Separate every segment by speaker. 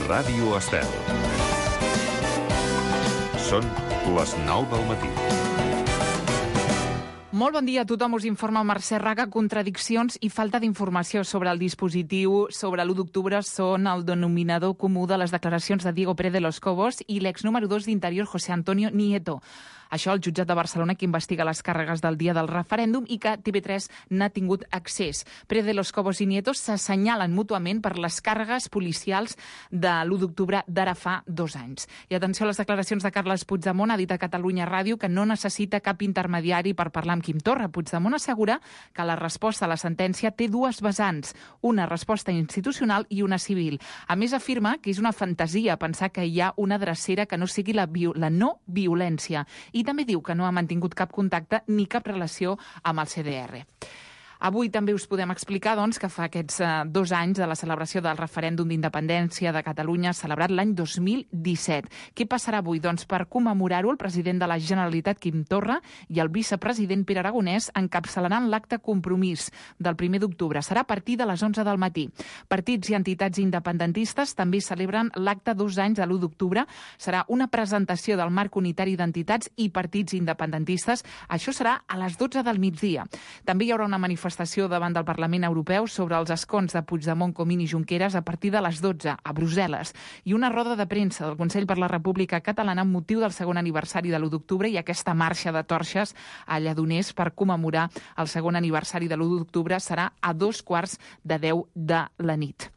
Speaker 1: Ràdio Estel. Són les 9 del matí.
Speaker 2: Molt bon dia a tothom, us informa Mercè Raga. Contradiccions i falta d'informació sobre el dispositiu sobre l'1 d'octubre són el denominador comú de les declaracions de Diego Pérez de los Cobos i l'ex número 2 d'Interior, José Antonio Nieto. Això el jutjat de Barcelona, que investiga les càrregues del dia del referèndum i que TV3 n'ha tingut accés. Pérez de los Cobos i Nieto s'assenyalen mútuament per les càrregues policials de l'1 d'octubre d'ara fa 2 anys. I atenció a les declaracions de Carles Puigdemont, ha dit a Catalunya Ràdio que no necessita cap intermediari per parlar amb Quim Torra. Puigdemont assegura que la resposta a la sentència té dues vessants, una resposta institucional i una civil. A més, afirma que és una fantasia pensar que hi ha una drecera que no sigui la no violència. I també diu que no ha mantingut cap contacte ni cap relació amb el CDR. Avui també us podem explicar que fa aquests 2 anys de la celebració del referèndum d'independència de Catalunya, celebrat l'any 2017. Què passarà avui? Per commemorar-ho, el president de la Generalitat, Quim Torra, i el vicepresident Pere Aragonès encapçalaran l'acte Compromís del 1 d'octubre. Serà a partir de les 11 del matí. Partits i entitats independentistes també celebren l'acte 2 anys de l'1 d'octubre. Serà una presentació del marc unitari d'entitats i partits independentistes. Això serà a les 12 del migdia. També hi haurà una manifestació davant del Parlament Europeu sobre els escons de Puigdemont, Comín i Junqueras a partir de les 12 a Brussel·les i una roda de premsa del Consell per la República Catalana amb motiu del segon aniversari de l'1 d'octubre i aquesta marxa de torxes a Lledoners per commemorar el segon aniversari de l'1 d'octubre serà a 2:45 de la nit.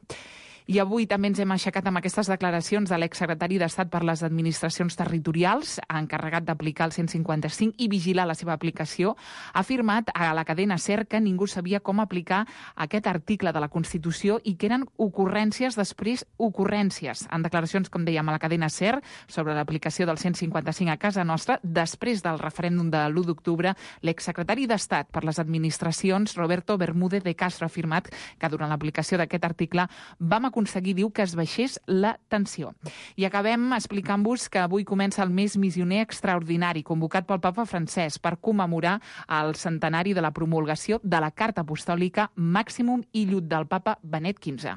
Speaker 2: I avui també ens hem aixecat amb aquestes declaracions de l'exsecretari d'Estat per les Administracions Territorials, encarregat d'aplicar el 155 i vigilar la seva aplicació. Ha afirmat a la cadena SER que ningú sabia com aplicar aquest article de la Constitució i que eren ocurrències després ocurrències. En declaracions, com dèiem, a la cadena SER sobre l'aplicació del 155 a casa nostra, després del referèndum de l'1 d'octubre, l'exsecretari d'Estat per les Administracions, Roberto Bermúdez de Castro, ha afirmat que durant l'aplicació d'aquest article vam aconseguir, diu, que es baixés la tensió. I acabem explicant-vos que avui comença el mes missioner extraordinari convocat pel papa Francesc per commemorar el centenari de la promulgació de la Carta Apostòlica Màximum i Llut del papa Benet XV.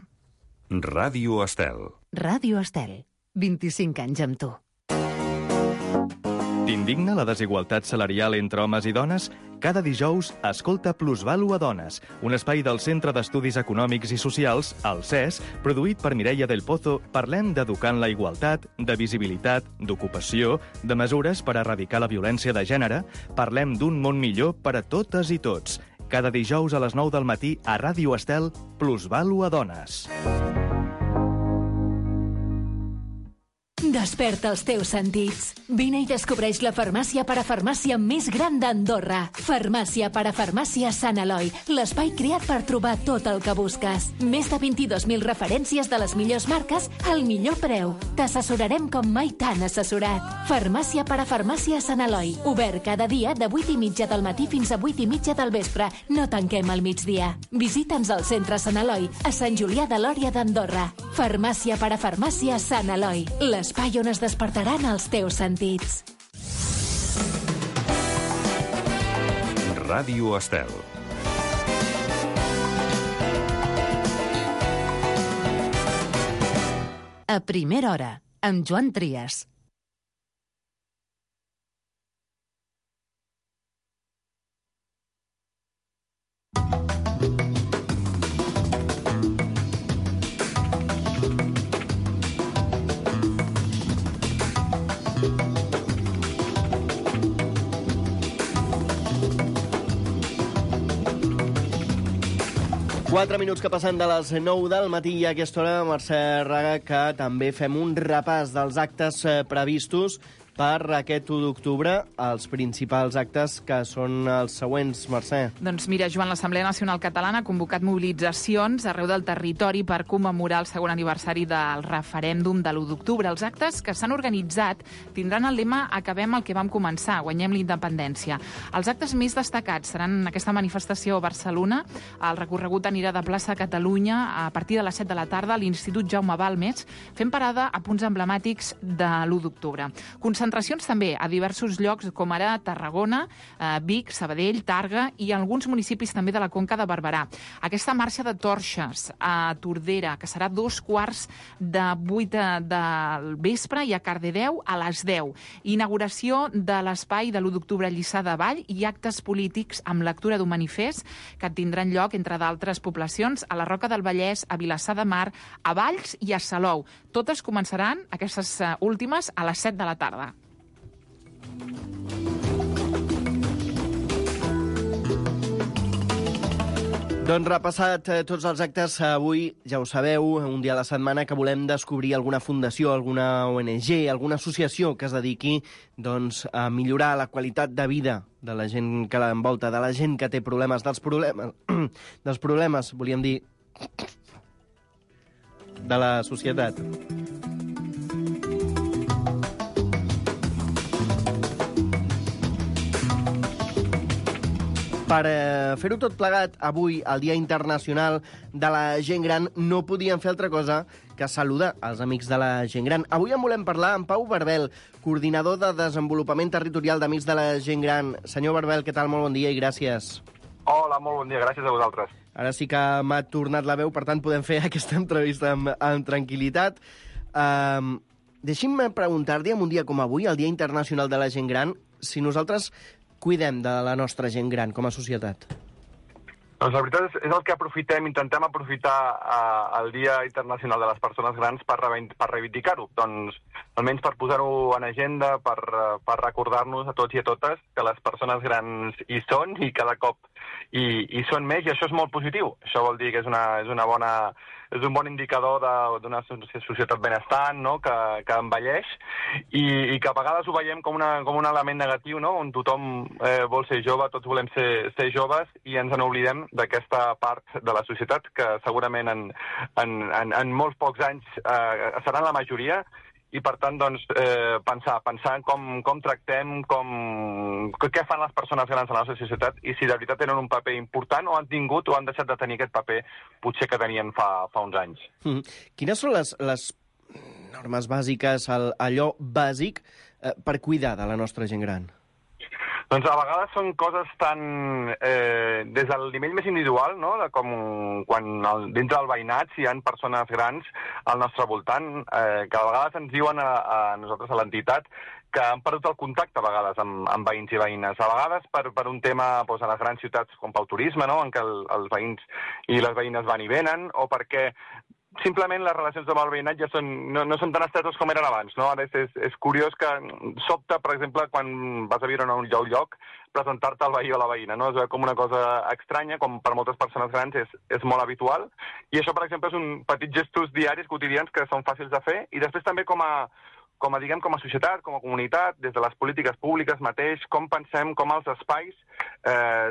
Speaker 1: Ràdio Estel.
Speaker 3: Ràdio Estel. 25 anys amb tu.
Speaker 4: T'indigna la desigualtat salarial entre homes i dones? Cada dijous, escolta Plusvalu a Dones, un espai del Centre d'Estudis Econòmics i Socials, el CES, produït per Mireia del Pozo. Parlem d'educar en la igualtat, de visibilitat, d'ocupació, de mesures per erradicar la violència de gènere. Parlem d'un món millor per a totes i tots. Cada dijous a les 9 del matí a Ràdio Estel, Plusvalu a Dones.
Speaker 3: Desperta els teus sentits. Vine i descobreix la farmàcia parafarmàcia més gran d'Andorra. Farmàcia parafarmàcia Sant Eloi, l'espai creat per trobar tot el que busques. Més de 22.000 referències de les millors marques al millor preu. T'assessorarem com mai t'han assessorat. Farmàcia parafarmàcia Sant Eloi. Obert cada dia de 8:30 del matí fins a 8:30 del vespre. No tanquem al migdia. Visita'ns al centre Sant Eloi, a Sant Julià de Lòria d'Andorra. Farmàcia parafarmàcia Sant Eloi, l'espai on es despertaran els teus sentits.
Speaker 1: Ràdio Estel.
Speaker 3: A primera hora, amb Joan Trias.
Speaker 5: Quatre minuts que passen de les 9 del matí i a aquesta hora, Mercè Raga, que també fem un repàs dels actes previstos per aquest 1 d'octubre, els principals actes que són els següents, Mercè.
Speaker 2: Doncs mira, Joan, l'Assemblea Nacional Catalana ha convocat mobilitzacions arreu del territori per commemorar el segon aniversari del referèndum de l'1 d'octubre. Els actes que s'han organitzat tindran el lema "Acabem el que vam començar, guanyem la independència". Els actes més destacats seran aquesta manifestació a Barcelona. El recorregut anirà de plaça Catalunya a partir de les 7 de la tarda a l'Institut Jaume Balmes, fent parada a punts emblemàtics de l'1 d'octubre. Concentracions també a diversos llocs, com ara Tarragona, Vic, Sabadell, Tàrrega i alguns municipis també de la Conca de Barberà. Aquesta marxa de torxes a Tordera, que serà 7:45 del vespre, i a Cardedeu a les 10. Inauguració de l'espai de l'1 d'octubre a Lliçà de Vall i actes polítics amb lectura d'un manifest que tindran lloc, entre d'altres poblacions, a la Roca del Vallès, a Vilassar de Mar, a Valls i a Salou. Totes començaran, aquestes últimes, a les 7 de la tarda.
Speaker 5: Doncs repassat tots els actes, avui, ja ho sabeu, un dia a la setmana que volem descobrir alguna fundació, alguna ONG, alguna associació que es dediqui doncs, a millorar la qualitat de vida de la gent que l'envolta, de la gent que té problemes, dels problemes, volíem dir, de la societat. Per fer-ho tot plegat, avui, el Dia Internacional de la Gent Gran, no podíem fer altra cosa que saludar els amics de la gent gran. Avui en volem parlar amb Pau Barbel, coordinador de Desenvolupament Territorial d'Amics de la Gent Gran. Senyor Barbel, què tal? Molt bon dia i gràcies.
Speaker 6: Hola, molt bon dia, gràcies a vosaltres.
Speaker 5: Ara sí que m'ha tornat la veu, per tant podem fer aquesta entrevista amb tranquil·litat. Deixi'm preguntar-li, en un dia com avui, el Dia Internacional de la Gent Gran, si nosaltres cuidem de la nostra gent gran com a societat.
Speaker 6: Doncs la veritat és el que intentem aprofitar el Dia Internacional de les Persones Grans per reivindicar-ho. Doncs almenys per posar-ho en agenda, per recordar-nos a tots i a totes que les persones grans hi són i cada cop hi són més, i això és molt positiu. Això vol dir que és un bon indicador d'una societat benestant, no? que envelleix, i que a vegades ho veiem com un element negatiu, no? On tothom vol ser jove, tots volem ser joves, i ens n'oblidem d'aquesta part de la societat que segurament en molts pocs anys seran la majoria, i per tant doncs, pensar en com tractem, què fan les persones grans a la nostra societat, i si de veritat tenen un paper important o han tingut o han deixat de tenir aquest paper potser que tenien fa uns anys.
Speaker 5: Quines són les normes bàsiques, allò bàsic per cuidar de la nostra gent gran?
Speaker 6: Doncs a vegades són coses tan des del nivell més individual, no? Com quan dintre del veïnat, si hi ha persones grans al nostre voltant, que a vegades ens diuen a nosaltres, a l'entitat, que han perdut el contacte a vegades amb veïns i veïnes. A vegades per un tema a les grans ciutats com pel turisme, no? En què els veïns i les veïnes van i venen, o perquè simplement les relacions amb el veïnat ja no són tan estretes com eren abans, no? Ara és curiós que sobta, per exemple, quan vas a viure en un lloc, presentar-te al veí o a la veïna, no? És com una cosa estranya, com per moltes persones grans és molt habitual, i això, per exemple, és un petits gestos diaris, quotidians, que són fàcils de fer, i després també com a societat, com a comunitat, des de les polítiques públiques mateix, com pensem com els espais,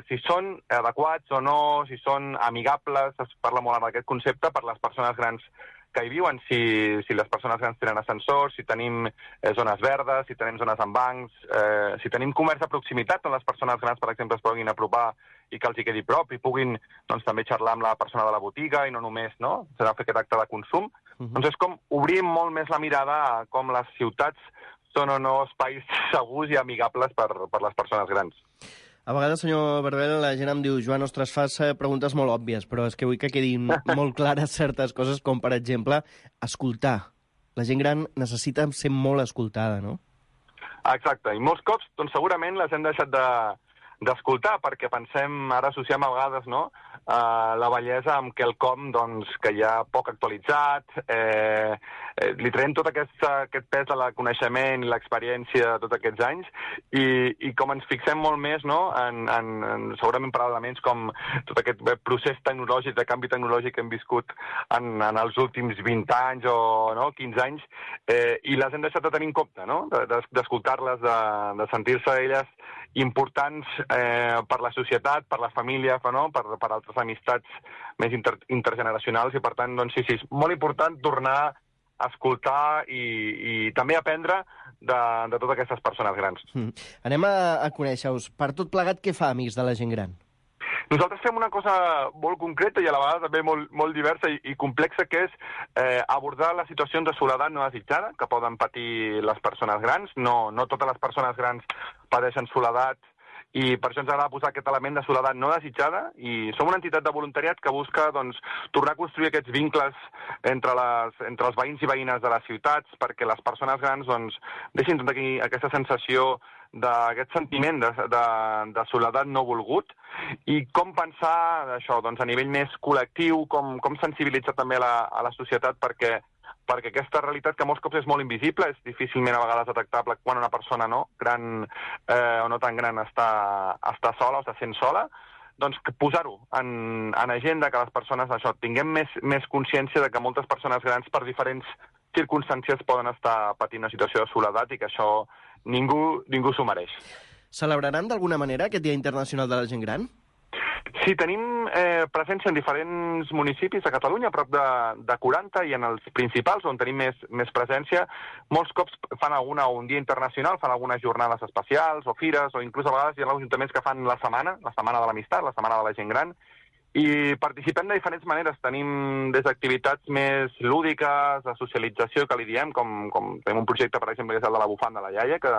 Speaker 6: si són adequats o no, si són amigables, es parla molt d'aquest concepte per les persones grans que hi viuen, si les persones grans tenen ascensors, si tenim zones verdes, si tenim zones amb bancs, si tenim comerç de proximitat on les persones grans, per exemple, es puguin apropar i que els hi quedi prop i puguin doncs, també xerrar amb la persona de la botiga i no només fer aquest acte de consum. Doncs és com obrir molt més la mirada a com les ciutats són o no espais segurs i amigables per les persones grans.
Speaker 5: A vegades, senyor Barbel, la gent em diu: Joan, ostres, fas preguntes molt òbvies, però és que vull que quedin molt clares certes coses, com, per exemple, escoltar. La gent gran necessita ser molt escoltada, no?
Speaker 6: Exacte, i molts cops, doncs, segurament les hem deixat d'escoltar, perquè pensem, ara associem a vegades, no?, la bellesa amb quelcom doncs, que ja poc actualitzat, li traiem tot aquest pes de la coneixement i l'experiència de tots aquests anys, i com ens fixem molt més, no?, segurament per elements com tot aquest procés tecnològic, de canvi tecnològic que hem viscut en els últims 20 anys o 15 anys, i les hem deixat de tenir en compte, no?, d'escoltar-les, de sentir-se elles importants per la societat, per la família, no?, per altres amistats més intergeneracionals, i per tant, doncs sí, és molt important tornar a escoltar i també aprendre de totes aquestes persones grans.
Speaker 5: Anem a conèixer-us. Per tot plegat, què fa Amics de la Gent Gran?
Speaker 6: Nosaltres fem una cosa molt concreta i a la vegada també molt diversa i complexa, que és abordar les situacions de soledat no desitjada que poden patir les persones grans. No totes les persones grans pateixen soledat, i per això ens agrada posar aquest element de soledat no desitjada, i som una entitat de voluntariat que busca tornar a construir aquests vincles entre els veïns i veïnes de les ciutats, perquè les persones grans deixin tenir aquesta sensació d'aquest sentiment de soledat no volgut, i com pensar això a nivell més col·lectiu, com sensibilitzar també a la societat perquè aquesta realitat, que molts cops és molt invisible, és difícilment a vegades detectable quan una persona gran o no tan gran està sola o està sent sola, doncs posar-ho en agenda, que les persones tinguem més consciència de que moltes persones grans per diferents circumstàncies poden estar patint una situació de soledat i que això ningú s'ho mereix.
Speaker 5: Celebraran d'alguna manera aquest Dia Internacional de la Gent Gran?
Speaker 6: Sí, tenim presència en diferents municipis de Catalunya, a prop de 40, i en els principals, on tenim més presència, molts cops fan un dia internacional, fan algunes jornades especials o fires, o inclús a vegades hi ha ajuntaments que fan la setmana de l'amistat, la setmana de la gent gran, i participem de diferents maneres. Tenim des d'activitats més lúdiques, de socialització, que li diem, com tenim un projecte, per exemple, que és el de la bufanda de la iaia, que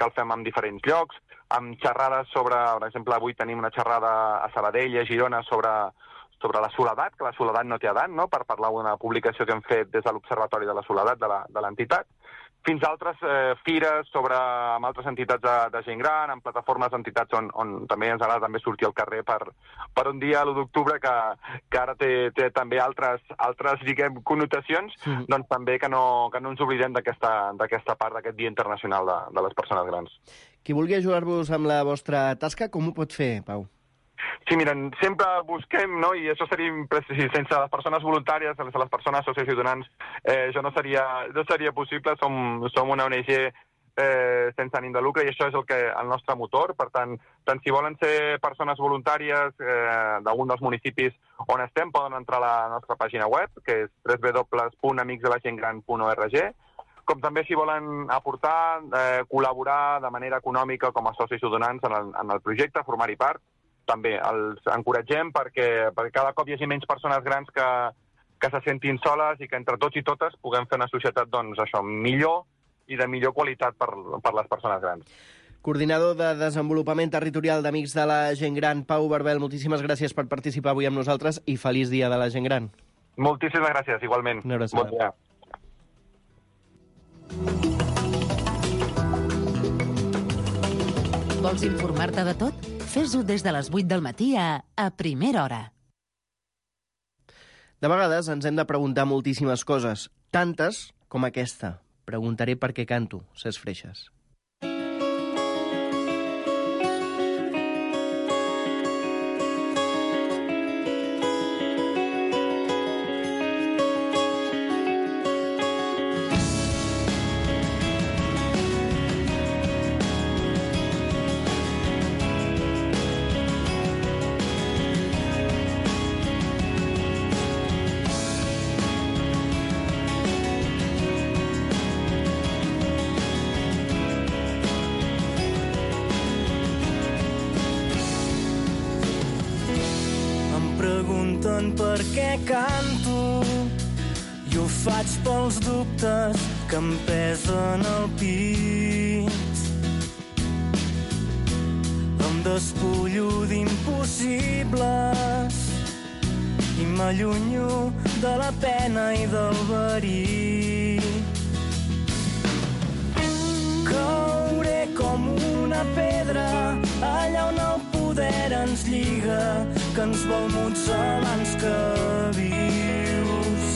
Speaker 6: el fem en diferents llocs, amb xerrades sobre, per exemple, avui tenim una xerrada a Sabadell i a Girona sobre la soledat, que la soledat no té edat, no?, per parlar d'una publicació que hem fet des de l'Observatori de la Soledat de l'entitat, fins a altres fires amb altres entitats de gent gran, amb plataformes d'entitats on també ens agrada també sortir al carrer per un dia, l'1 d'octubre, que ara té també altres diguem, connotacions, doncs també que no ens oblidem d'aquesta part d'aquest Dia Internacional de les Persones Grans.
Speaker 5: Qui vulgui ajudar-vos amb la vostra tasca, com ho pot fer, Pau?
Speaker 6: Sí, miren, sempre busquem, no?, i això seria sense les persones voluntàries, sense les persones socials i donants, això no seria possible. Som una ONG sense ànim de lucre, i això és el nostre motor. Per tant si volen ser persones voluntàries d'algun dels municipis on estem, poden entrar a la nostra pàgina web, que és www.amicsdelagentgran.org, com també si volen aportar, col·laborar de manera econòmica com a socis o donants en el projecte, formar-hi part. També els encoratgem perquè cada cop hi hagi menys persones grans que se sentin soles, i que entre tots i totes puguem fer una societat millor i de millor qualitat per les persones grans.
Speaker 5: Coordinador de Desenvolupament Territorial d'Amics de la Gent Gran, Pau Barbel, moltíssimes gràcies per participar avui amb nosaltres i feliç Dia de la Gent Gran.
Speaker 6: Moltíssimes gràcies, igualment.
Speaker 5: Una abraçada.
Speaker 6: Bon dia.
Speaker 7: Vols informar-te de tot? Fes-ho des de les 8 del matí a primera hora.
Speaker 5: De vegades ens hem de preguntar moltíssimes coses, tantes com aquesta. Preguntaré per què canto, Cesc Freixas.
Speaker 8: Per què canto? Jo ho faig pels dubtes que em pesen al pit. Em despullo d'impossibles i m'allunyo de la pena i del verí. Cauré com una pedra allà on el poder ens lliga, que ens vol muts abans que vius.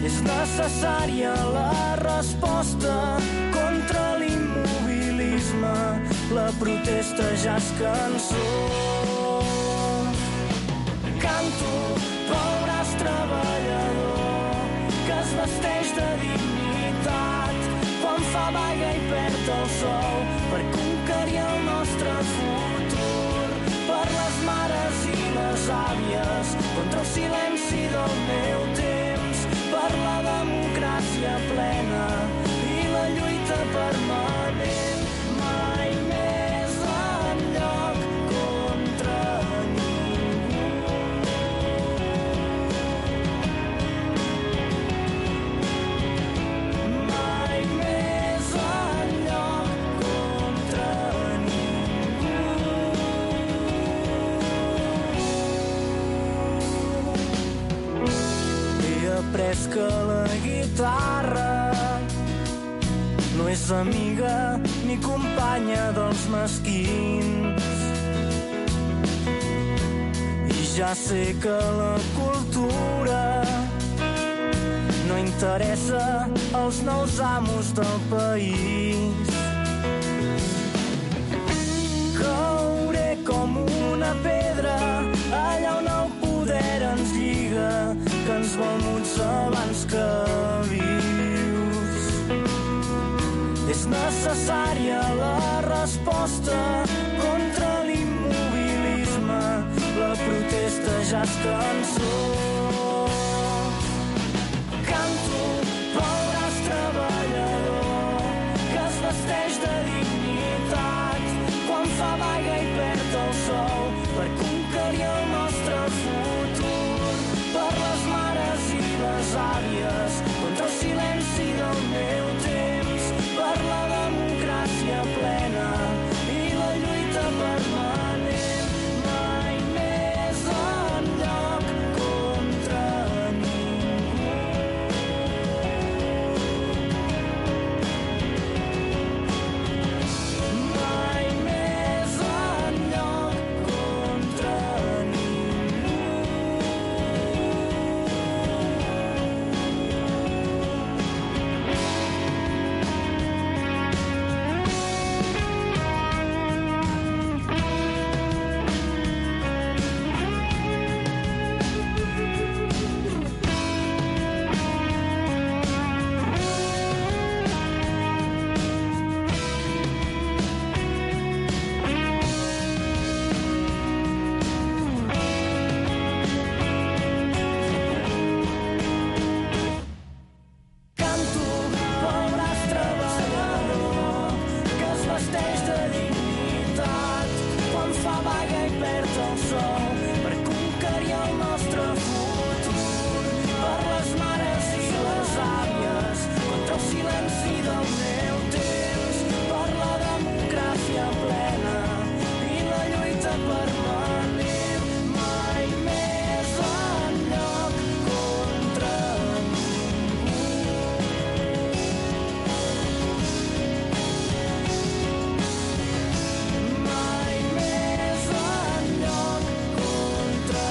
Speaker 8: És necessària la resposta contra l'immobilisme, la protesta ja és cançó. Canto pel braç treballador que es vesteix de dignitat quan fa vaga i perd el sol per conquerir el nostre futur, per les mares i les àvies, contra el silenci del meu temps, per la democràcia plena i la lluita permanent. Mai més enlloc contra és que la guitarra no és amiga ni companya dels mesquins. I ja sé que la cultura no interessa als nous amos del país. Cauré com una pedra allà on el poder ens lliga, que ens vol muts abans que vius. És necessària la resposta contra l'immobilisme, la protesta ja és cançó. Canto pel braç treballador que es vesteix de dignitat quan fa vaga i perd el sou per conquerir el nostre futur, per les mares i les àvies, contra el silenci del meu temps, per la democràcia plena i la lluita permanent, mai més enlloc contra ningú. Mai més enlloc contra ningú. Canto pel braç treballador que es vesteix de dignitat quan fa vaga i perd el sol per conquerir el nostre futur, per les mares i les àvies, contra el silenci del meu temps, per la democràcia plena i la lluita permanent, mai més enlloc contra mai més enlloc contra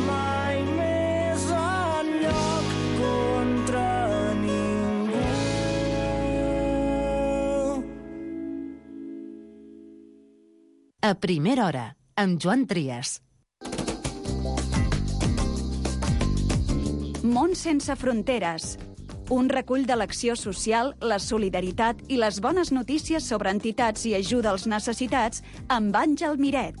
Speaker 8: mai més enlloc contra ningú.
Speaker 7: A primera hora, amb Joan Trias.
Speaker 9: Món sense fronteres. Un recull de l'acció social, la solidaritat i les bones notícies sobre entitats i ajuda als necessitats amb Àngel Miret.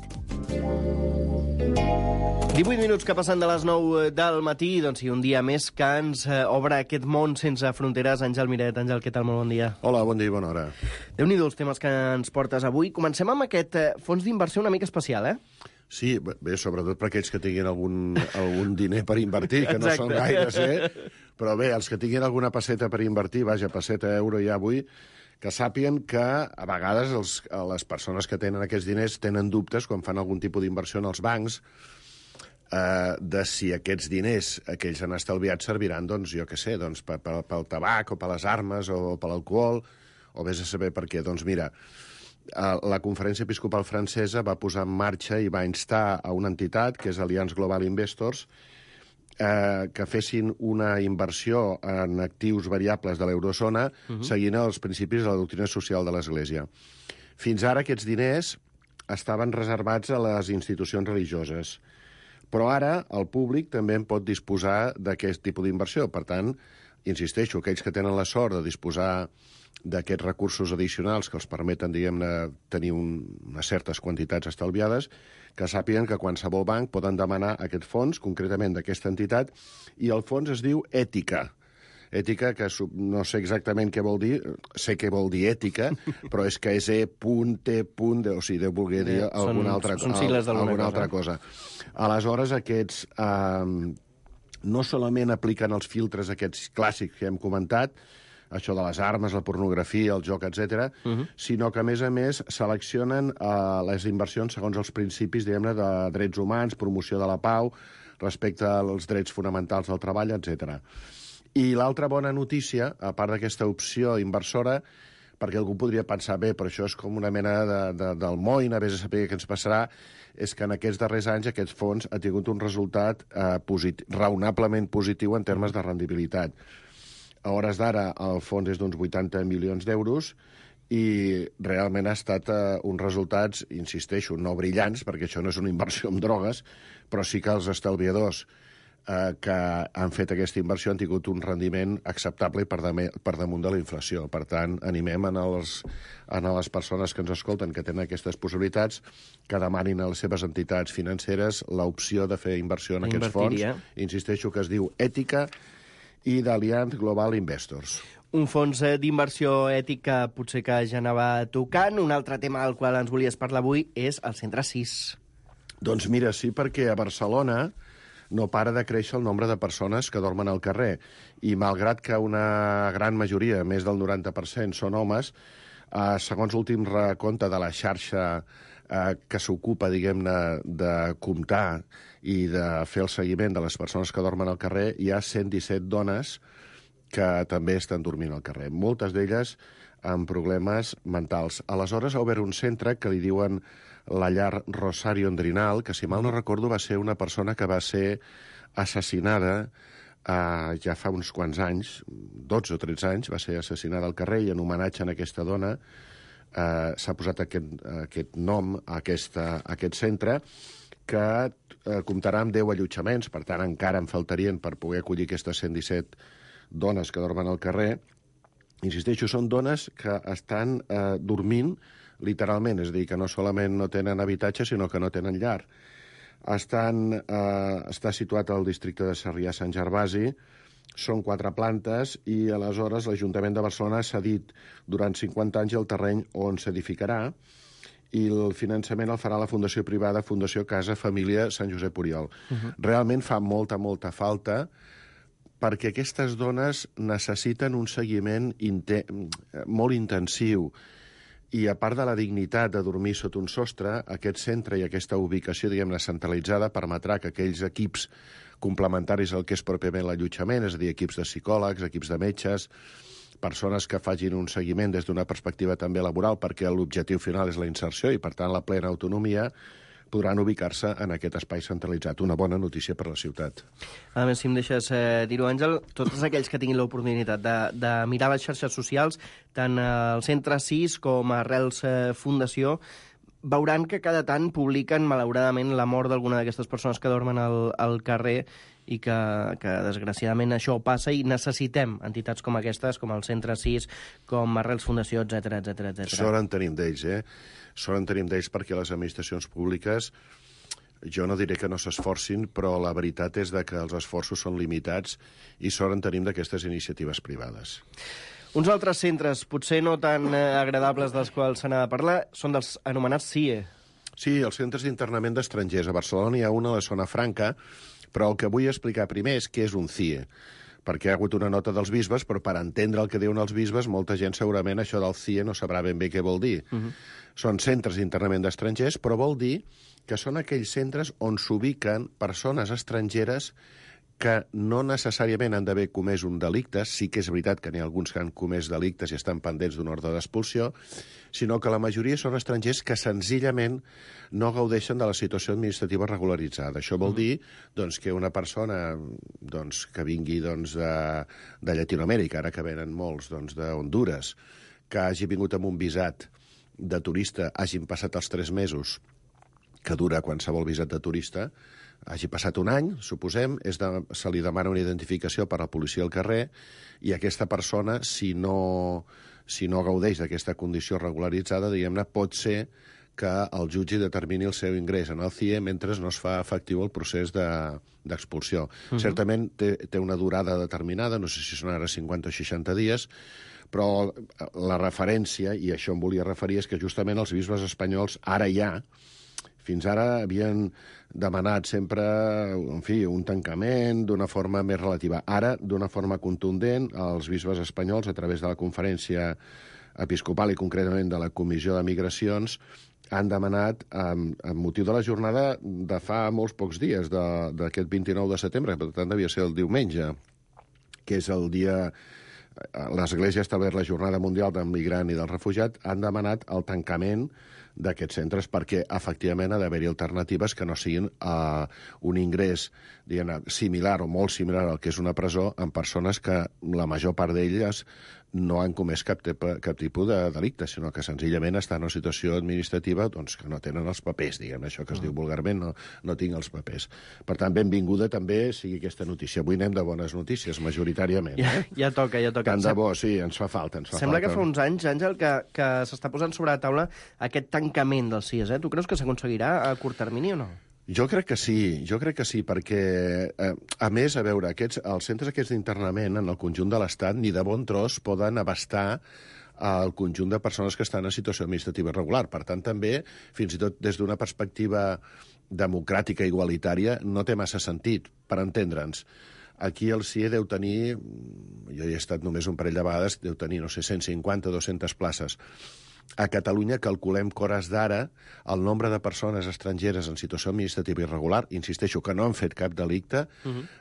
Speaker 5: 18 minuts que passen de les 9 del matí, doncs sí, un dia més que ens obre aquest món sense fronteres. Àngel Miret, Àngel, què tal? Molt bon dia.
Speaker 10: Hola, bon dia i bona hora.
Speaker 5: Déu-n'hi-do els temes que ens portes avui. Comencem amb aquest fons d'inversió una mica especial,
Speaker 10: Sí, bé, sobretot per aquells que tinguin algun diner per invertir, que no són gaires, Però bé, els que tinguin alguna pesseta per invertir, vaja, pesseta, euro ja avui, que sàpiguen que a vegades les persones que tenen aquests diners tenen dubtes quan fan algun tipus d'inversió en els bancs, de si aquests diners que ells han estalviat serviran, doncs, jo què sé, doncs, pel tabac o per les armes o per l'alcohol, o vés a saber per què. Doncs mira, la Conferència Episcopal Francesa va posar en marxa i va instar a una entitat, que és Alliance Global Investors, que fessin una inversió en actius variables de l'eurozona seguint els principis de la doctrina social de l'Església. Fins ara aquests diners estaven reservats a les institucions religioses, però ara el públic també en pot disposar d'aquest tipus d'inversió. Per tant, insisteixo, aquells que tenen la sort de disposar d'aquests recursos addicionals que els permeten, diguem-ne, tenir unes certes quantitats estalviades, que sàpiguen que qualsevol banc poden demanar aquest fons, concretament d'aquesta entitat, i el fons es diu Ètica. Ètica, que no sé exactament què vol dir, sé què vol dir ètica, però és que és o sigui, deu voler dir alguna altra cosa. Aleshores, aquests no solament apliquen els filtres aquests clàssics que hem comentat, això de les armes, la pornografia, el joc, etc., sinó que, a més, seleccionen les inversions segons els principis, diguem-ne, de drets humans, promoció de la pau, respecte als drets fonamentals del treball, etc. I l'altra bona notícia, a part d'aquesta opció inversora, perquè algú podria pensar, bé, però això és com una mena del moïna, vés a saber què ens passarà, és que en aquests darrers anys aquest fons ha tingut un resultat raonablement positiu en termes de rendibilitat. A hores d'ara el fons és d'uns 80 milions d'euros i realment ha estat uns resultats, insisteixo, no brillants, perquè això no és una inversió en drogues, però sí que els estalviadors que han fet aquesta inversió han tingut un rendiment acceptable i per damunt de la inflació. Per tant, animem a les persones que ens escolten que tenen aquestes possibilitats que demanin a les seves entitats financeres l'opció de fer inversió en aquests fons. Insisteixo que es diu Ètica i d'Allianz Global Investors.
Speaker 5: Un fons d'inversió ètica potser que ja anava tocant. Un altre tema del qual ens volies parlar avui és el Centre 6.
Speaker 10: Doncs mira, sí, perquè a Barcelona no para de créixer el nombre de persones que dormen al carrer. I malgrat que una gran majoria, més del 90%, són homes, segons l'últim recompte de la xarxa que s'ocupa, diguem-ne, de comptar i de fer el seguiment de les persones que dormen al carrer, hi ha 117 dones que també estan dormint al carrer. Moltes d'elles amb problemes mentals. Aleshores ha obert un centre que li diuen la llar Rosario Endrinal, que, si mal no recordo, va ser una persona que va ser assassinada ja fa uns quants anys, 12 o 13 anys, va ser assassinada al carrer, i en homenatge a aquesta dona s'ha posat aquest nom a aquest centre, que comptarà amb 10 allotjaments, per tant encara en faltarien per poder acollir aquestes 117 dones que dormen al carrer. Insisteixo, són dones que estan dormint literalment, és a dir, que no solament no tenen habitatge, sinó que no tenen llar. Està situat al districte de Sarrià-Sant Gervasi, són 4 plantes, i aleshores l'Ajuntament de Barcelona ha cedit durant 50 anys el terreny on s'edificarà, i el finançament el farà la fundació privada Fundació Casa Família Sant Josep Oriol. Realment fa molta falta, perquè aquestes dones necessiten un seguiment molt intensiu. I a part de la dignitat de dormir sota un sostre, aquest centre i aquesta ubicació, diguem-ne, centralitzada, permetrà que aquells equips complementaris al que és pròpiament l'allotjament, és a dir, equips de psicòlegs, equips de metges, persones que facin un seguiment des d'una perspectiva també laboral, perquè l'objectiu final és la inserció i, per tant, la plena autonomia, podran ubicar-se en aquest espai centralitzat. Una bona notícia per la ciutat.
Speaker 5: A més, si em deixes dir-ho, Àngel, tots aquells que tinguin l'oportunitat de mirar les xarxes socials, tant el Centre 6 com Arrels Fundació, veuran que cada tant publiquen, malauradament, la mort d'alguna d'aquestes persones que dormen al carrer, i que desgraciadament això passa, i necessitem entitats com aquestes, com el Centre 6, com Arrels Fundació, etc.
Speaker 10: Sort en tenim d'ells, Sort en tenim d'ells, perquè les administracions públiques, jo no diré que no s'esforcin, però la veritat és que els esforços són limitats, i sort en tenim d'aquestes iniciatives privades.
Speaker 5: Uns altres centres, potser no tan agradables dels quals s'ha de parlar, són dels anomenats CIE.
Speaker 10: Sí, els centres d'internament d'estrangers. A Barcelona hi ha una a la zona franca, però el que vull explicar primer és què és un CIE, perquè hi ha hagut una nota dels bisbes, però per entendre el que diuen els bisbes, molta gent segurament això del CIE no sabrà ben bé què vol dir. Són centres d'internament d'estrangers, però vol dir que són aquells centres on s'ubiquen persones estrangeres que no necessàriament han d'haver comès un delicte, sí que és veritat que n'hi ha alguns que han comès delictes i estan pendents d'un ordre d'expulsió, sinó que la majoria són estrangers que senzillament no gaudeixen de la situació administrativa regularitzada. Això vol dir que una persona que vingui de Llatinoamèrica, ara que venen molts d'Honduras, que hagi vingut amb un visat de turista, hagin passat els 3 mesos que dura qualsevol visat de turista, hagi passat un any, suposem, se li demana una identificació per a la policia al carrer, i aquesta persona, si no gaudeix d'aquesta condició regularitzada, diguem-ne, pot ser que el jutge determini el seu ingrés en el CIE mentre no es fa efectiu el procés d'expulsió. Certament té una durada determinada, no sé si són ara 50 o 60 dies, però la referència, i això em volia referir, és que justament els bisbes espanyols ara ja Fins ara havien demanat sempre, en fi, un tancament d'una forma més relativa. Ara, d'una forma contundent, els bisbes espanyols, a través de la conferència episcopal i concretament de la Comissió de Migracions, han demanat, amb motiu de la jornada de fa molts pocs dies, d'aquest 29 de setembre, per tant devia ser el diumenge, que és el dia... L'Església ha establert la Jornada Mundial del Migrant i del Refugiat, han demanat el tancament d'aquests centres perquè, efectivament, ha d'haver-hi alternatives que no siguin un ingrés similar o molt similar al que és una presó en persones que la major part d'elles no han comès cap tipus de delicte, sinó que senzillament estan en una situació administrativa doncs, que no tenen els papers, diguem, això que es diu vulgarment, no tinc els papers. Per tant, benvinguda també sigui aquesta notícia. Avui anem de bones notícies, majoritàriament.
Speaker 5: Ja toca.
Speaker 10: Tant de bo, sí, ens fa falta.
Speaker 5: Sembla que fa uns anys, Àngel, que s'està posant sobre la taula aquest tancament dels CIES. Tu creus que s'aconseguirà a curt termini o no?
Speaker 10: Jo crec que sí, perquè, a més, a veure, els centres aquests d'internament en el conjunt de l'Estat ni de bon tros poden abastar el conjunt de persones que estan en situació administrativa irregular. Per tant, també, fins i tot des d'una perspectiva democràtica i igualitària, no té massa sentit, per entendre'ns. Aquí el CIE deu tenir, jo hi he estat només un parell de vegades, deu tenir, no sé, 150 o 200 places. A Catalunya calculem que hores d'ara el nombre de persones estrangeres en situació administrativa irregular, insisteixo que no han fet cap delicte,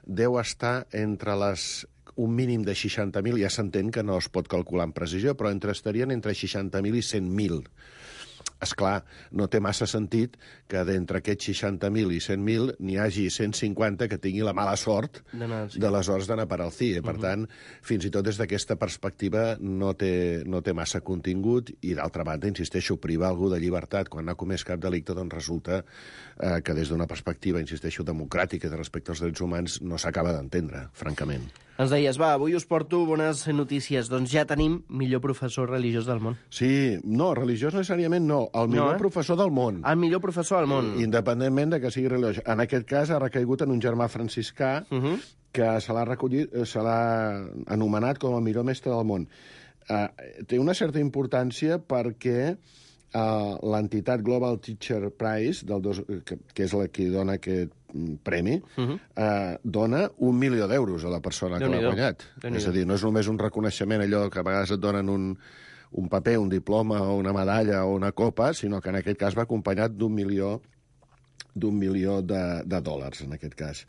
Speaker 10: deu estar entre un mínim de 60.000, ja s'entén que no es pot calcular amb precisió, però estarien entre 60.000 i 100.000. Esclar, no té massa sentit que d'entre aquests 60.000 i 100.000 n'hi hagi 150 que tingui la mala sort d'aleshores d'anar per al CIE. Per tant, fins i tot des d'aquesta perspectiva no té massa contingut i, d'altra banda, insisteixo, privar algú de llibertat quan no ha comès cap delicte, doncs resulta que des d'una perspectiva, insisteixo, democràtica de respecte als drets humans no s'acaba d'entendre, francament.
Speaker 5: Ens deies, avui us porto bones notícies. Doncs ja tenim millor professor religiós del món.
Speaker 10: Sí, no, religiós necessàriament no. El millor professor del món.
Speaker 5: El millor professor del món.
Speaker 10: Independentment de que sigui religiós. En aquest cas ha recaigut en un germà franciscà que se l'ha anomenat com el millor mestre del món. Té una certa importància perquè l'entitat Global Teacher Prize, que és la que dona aquest premi, dona 1 milió d'euros a la persona que l'ha guanyat. És a dir, no és només un reconeixement, allò que a vegades et donen un paper, un diploma o una medalla o una copa, sinó que en aquest cas va acompanyat d'un milió de dòlars, en aquest cas.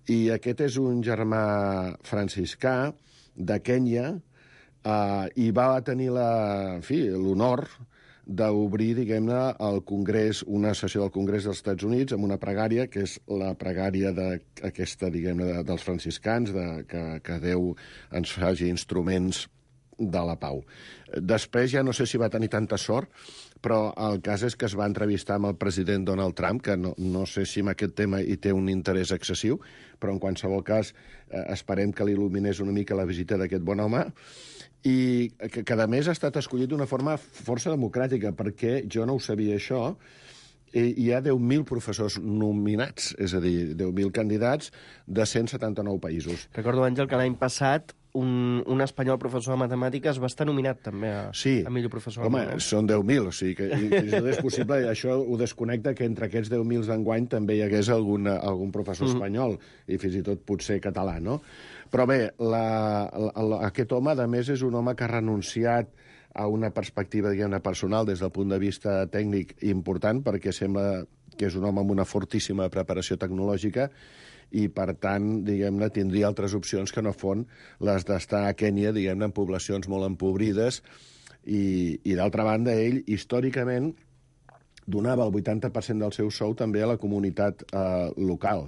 Speaker 10: I aquest és un germà franciscà de Kenya i va tenir l'honor d'obrir, diguem-ne, al Congrés, una sessió del Congrés dels Estats Units amb una pregària, que és la pregària d'aquesta, diguem-ne, dels franciscans, que Déu ens faci instruments de la pau. Després ja no sé si va tenir tanta sort, però el cas és que es va entrevistar amb el president Donald Trump, que no sé si en aquest tema hi té un interès excessiu, però en qualsevol cas esperem que l'il·luminés una mica la visita d'aquest bon home, i que a més ha estat escollit d'una forma força democràtica, perquè jo no ho sabia això, hi ha 10.000 professors nominats, és a dir, 10.000 candidats de 179 països.
Speaker 5: Recordo, Àngel, que l'any passat un espanyol professor de matemàtiques va estar nominat també a millor professor.
Speaker 10: Home, són 10.000, o sigui que és possible, això ho desconnecta que entre aquests 10.000 d'enguany també hi hagués algun professor espanyol, i fins i tot potser català, no? Però bé, aquest home, a més, és un home que ha renunciat a una perspectiva, diguem-ne, personal des del punt de vista tècnic important, perquè sembla que és un home amb una fortíssima preparació tecnològica i, per tant, diguem-ne, tindria altres opcions que no fon les d'estar a Kènia, diguem-ne, en poblacions molt empobrides i d'altra banda, ell, històricament, donava el 80% del seu sou també a la comunitat local.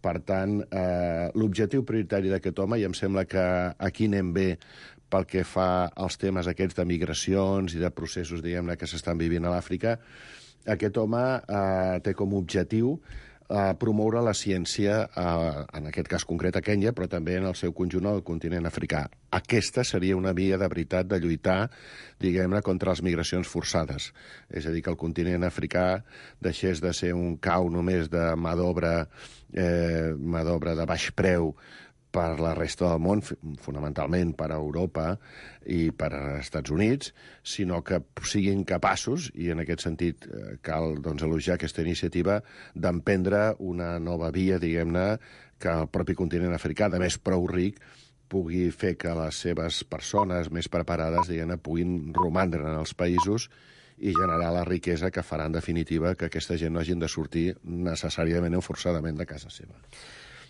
Speaker 10: Per tant, l'objectiu prioritari d'aquest home, i em sembla que aquí anem bé pel que fa als temes aquests de migracions i de processos, diguem-ne, que s'estan vivint a l'Àfrica, aquest home té com a objectiu promoure la ciència, en aquest cas concret a Kènia, però també en el seu conjunt al continent africà. Aquesta seria una via de veritat de lluitar, diguem-ne, contra les migracions forçades. És a dir, que el continent africà deixés de ser un cau només de mà d'obra de baix preu per la resta del món, fonamentalment per a Europa i per als Estats Units, sinó que siguin capaços, i en aquest sentit cal elogiar aquesta iniciativa, d'emprendre una nova via, diguem-ne, que el propi continent africà, de més prou ric, pugui fer que les seves persones més preparades, diguem-ne, puguin romandre en els països i generar la riquesa que farà, en definitiva, que aquesta gent no hagin de sortir necessàriament o forçadament de casa seva.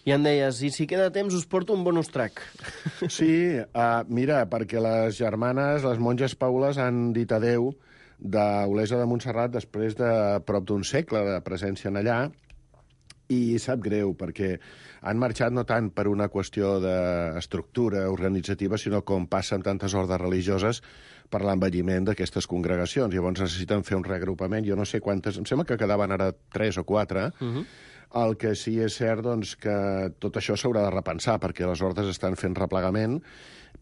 Speaker 5: I em deies, i si queda temps us porto un bonus track.
Speaker 10: Sí, mira, perquè les germanes, les monges Paules, han dit adeu d'Olesa de Montserrat després de prop d'un segle de presència en allà, i sap greu, perquè han marxat no tant per una qüestió d'estructura organitzativa, sinó com passa en tantes ordes religioses per l'envelliment d'aquestes congregacions. Llavors necessiten fer un reagrupament. Jo no sé quantes... Em sembla que quedaven ara 3 o 4. El que sí és cert, doncs, que tot això s'haurà de repensar, perquè les ordes estan fent replegament,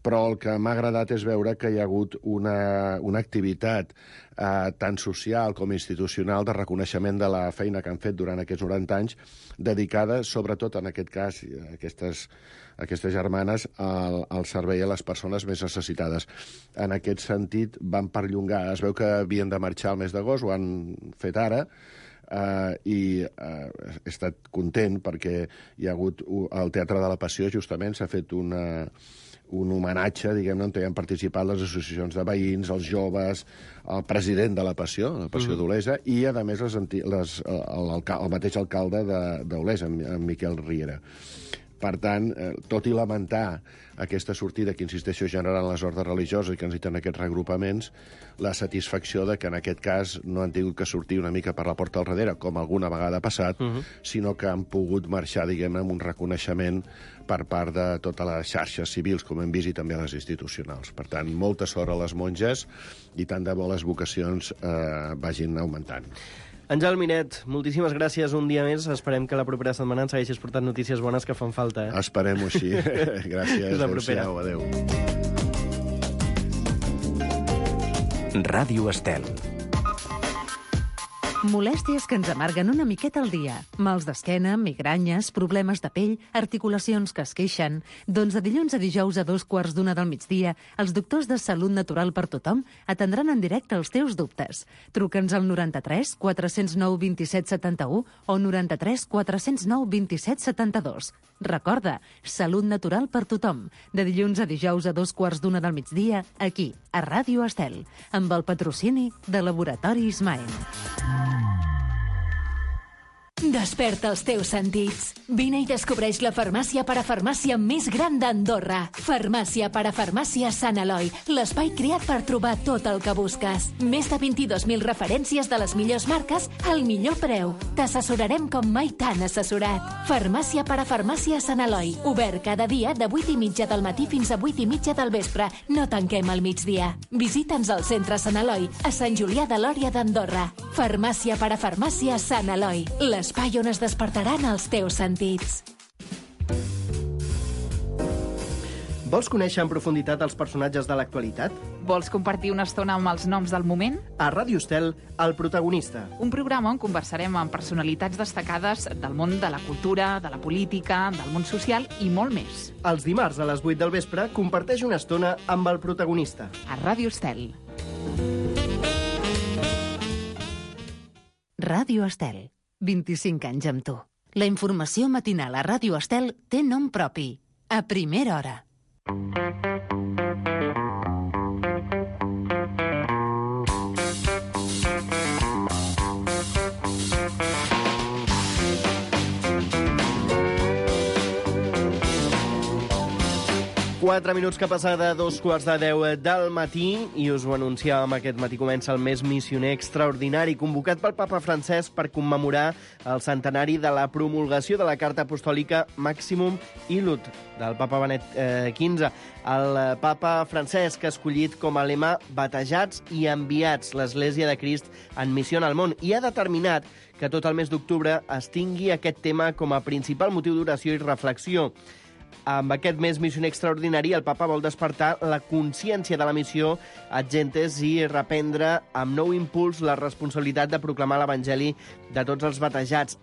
Speaker 10: però el que m'ha agradat és veure que hi ha hagut una activitat tant social com institucional de reconeixement de la feina que han fet durant aquests 90 anys, dedicada, sobretot en aquest cas, aquestes germanes, al servei a les persones més necessitades. En aquest sentit, van perllongar. Es veu que havien de marxar el mes d'agost, ho han fet ara, i he estat content perquè hi ha hagut al Teatre de la Passió, justament, s'ha fet un homenatge, diguem-ne, on hi han participat les associacions de veïns, els joves, el president de la Passió d'Olesa, i, a més, el mateix alcalde d'Olesa, en Miquel Riera. Per tant, tot i lamentar aquesta sortida que, insisteixo, generant les ordes religioses i que necessiten aquests reagrupaments, la satisfacció de que en aquest cas no han tingut que sortir una mica per la porta al darrere, com alguna vegada ha passat, sinó que han pogut marxar, diguem-ne, amb un reconeixement per part de totes les xarxes civils, com hem vist, i també les institucionals. Per tant, molta sort a les monges i tant de bo les vocacions vagin augmentant.
Speaker 5: Àngel Miret, moltíssimes gràcies un dia més. Esperem que la propera setmana ens segueixis portant notícies bones que fan falta.
Speaker 10: Esperem-ho així. Gràcies. Adéu-siau. Adéu.
Speaker 1: Ràdio Estel.
Speaker 7: Molèsties que ens amarguen una miqueta al dia. Mals d'esquena, migranyes, problemes de pell, articulacions que es queixen. Doncs de dilluns a dijous a 2:15 del migdia, els doctors de Salut Natural per Tothom atendran en directe els teus dubtes. Truca'ns al 93 409 27 71 o 93 409 27 72. Recorda, Salut Natural per Tothom. De dilluns a dijous a 2:15 del migdia, aquí, a Ràdio Estel, amb el patrocini de Laboratori Ismael.
Speaker 3: Desperta els teus sentits. Vine i descobreix la farmàcia parafarmàcia més gran d'Andorra. Farmàcia parafarmàcia Sant Eloi, l'espai creat per trobar tot el que busques. Més de 22.000 referències de les millors marques al millor preu. T'assessorarem com mai t'han assessorat. Farmàcia parafarmàcia Sant Eloi, obert cada dia de 8:30 del matí fins a 8:30 del vespre. No tanquem al migdia. Visita'ns al centre Sant Eloi, a Sant Julià de Lòria d'Andorra. Farmàcia parafarmàcia Sant Eloi, l'espai on es despertaran els teus sentits.
Speaker 5: Vols conèixer en profunditat els personatges de l'actualitat?
Speaker 2: Vols compartir una estona amb els noms del moment?
Speaker 5: A Ràdio Estel, El protagonista.
Speaker 2: Un programa on conversarem amb personalitats destacades del món de la cultura, de la política, del món social i molt més.
Speaker 5: Els dimarts a les 8 del vespre comparteix una estona amb El protagonista.
Speaker 2: A Ràdio Estel.
Speaker 7: Ràdio Estel. 25 anys amb tu. La informació matinal a Ràdio Estel té nom propi. A primera hora.
Speaker 5: Quatre minuts que passa de 2:15 del matí i us ho anunciàvem aquest matí. Comença el mes missioner extraordinari convocat pel papa Francesc per commemorar el centenari de la promulgació de la Carta Apostòlica Maximum Illud del papa Benet XV. El papa Francesc ha escollit com a lema batejats i enviats l'Església de Crist en missió al món i ha determinat que tot el mes d'octubre es tingui aquest tema com a principal motiu d'oració i reflexió. Amb aquest mes missioner extraordinari, el papa vol despertar la consciència de la missió ad gentes i reprendre amb nou impuls la responsabilitat de proclamar l'Evangeli de tots els batejats.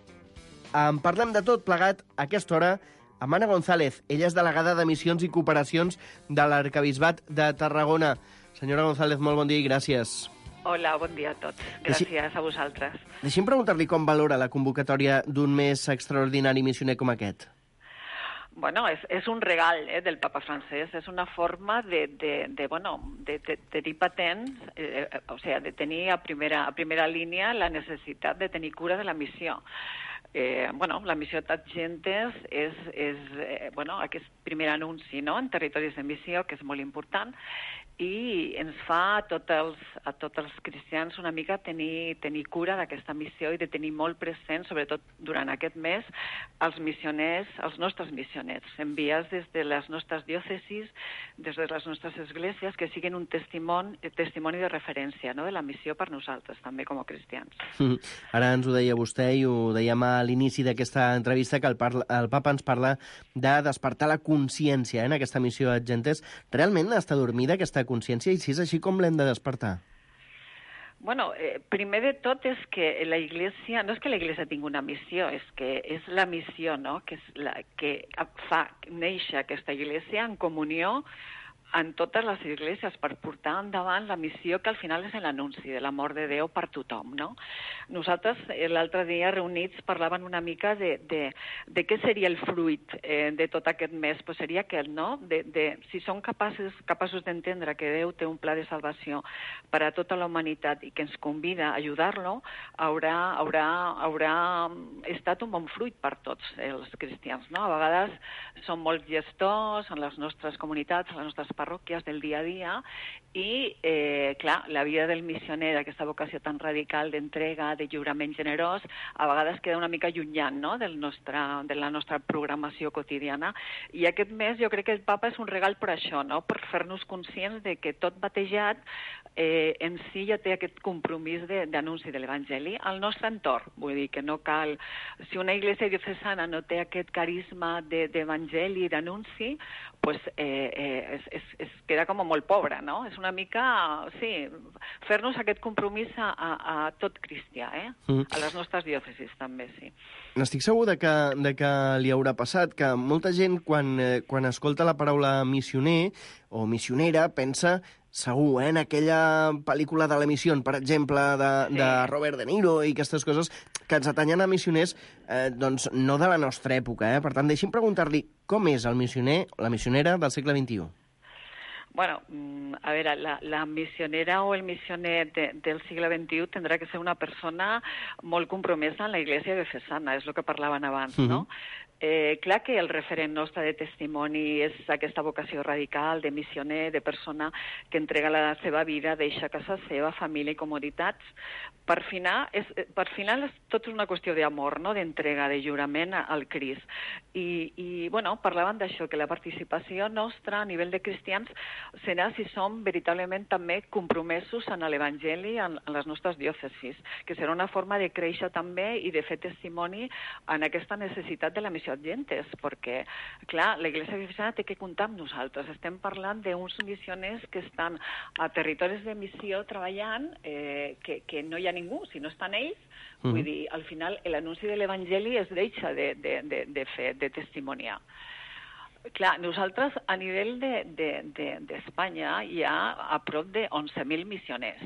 Speaker 5: En parlem de tot plegat a aquesta hora amb Anna González. Ella és delegada de Missions i Cooperacions de l'Arquebisbat de Tarragona. Senyora González, molt bon dia i gràcies.
Speaker 11: Hola, bon dia a tots. Gràcies a vosaltres.
Speaker 5: Deixi'm preguntar-li com valora la convocatòria d'un mes extraordinari missioner com aquest.
Speaker 11: Bueno, és un regal del papa francès, és una forma de tenir patents, o sigui, de tenir a primera línia la necessitat de tenir cura de la missió. La missió Tagentes és aquest primer anunci, no?, en territoris de missió, que és molt important, i ens fa a tots els cristians una mica tenir cura d'aquesta missió i de tenir molt present, sobretot durant aquest mes, els missioners, els nostres missioners, enviats des de les nostres diòcesis, des de les nostres esglésies, que siguin un testimoni de referència, no?, de la missió per nosaltres, també com a cristians.
Speaker 5: Ara ens ho deia vostè i ho dèiem a l'inici d'aquesta entrevista, que el papa ens parla de despertar la consciència en aquesta missió Tagentes. Realment està dormida aquesta consciència, i si és així, com l'hem de despertar?
Speaker 11: Bueno, primer de tot és que la Iglesia, no és que la Iglesia tingui una missió, és que és la missió, no?, que és la que fa néixer aquesta Iglesia en comunió en totes les esglésies per portar endavant la missió que al final és l'anunci de l'amor de Déu per tothom, no? Nosaltres l'altre dia reunits parlaven una mica de què seria el fruit de tot aquest mes. Pues seria aquest, no? Si som capaços d'entendre que Déu té un pla de salvació per a tota la humanitat i que ens convida a ajudar-lo, haurà estat un bon fruit per tots els cristians, no? A vegades som molts gestors en les nostres comunitats, en les nostres parròquies del dia a dia, i, clar, la vida del missioner, aquesta vocació tan radical d'entrega, de lliurament generós, a vegades queda una mica llunyant, no?, de la nostra programació quotidiana. I aquest mes jo crec que el papa és un regal per això, no?, per fer-nos conscients de que tot batejat en si ja té aquest compromís d'anunci de l'Evangeli al nostre entorn. Vull dir que no cal... Si una iglesia diocesana no té aquest carisma d'Evangeli i d'anunci, pues es queda com molt pobra, no? És una mica, sí, fer-nos aquest compromís a tot cristià, a les nostres diòcesis també, sí.
Speaker 5: N'estic segur de que li haurà passat, que molta gent quan escolta la paraula missioner o missionera pensa segur, en aquella pel·lícula de la missió, per exemple, de Robert De Niro i aquestes coses que ens atanyen a missioners, doncs no de la nostra època. Per tant, deixi'm preguntar-li com és el missioner o la missionera del segle XXI.
Speaker 11: Bueno, a veure, la missionera o el missioner del segle XXI tindrà que ser una persona molt compromesa en la Iglesia diocesana, és el que parlaven abans, no? Clar que el referent nostre de testimoni és aquesta vocació radical de missioner, de persona que entrega la seva vida, deixa casa seva, família i comoditats. Per final és tot una qüestió d'amor, no?, d'entrega, de lliurament al Crist. I parlaven d'això, que la participació nostra a nivell de cristians serà si som veritablement també compromesos en l'Evangeli en les nostres diòcesis, que serà una forma de créixer també i de fer testimoni en aquesta necessitat de la missió Tagentes, perquè, clar, la Iglesia Diocesana té que comptar amb nosaltres. Estem parlant d'uns missioners que estan a territoris de missió treballant, que no hi ha ningú, si no estan ells. Vull dir, al final, l'anunci de l'Evangeli es deixa de testimoniar. Clar, nosaltres, a nivell d'Espanya, hi ha a prop de 11.000 missioners,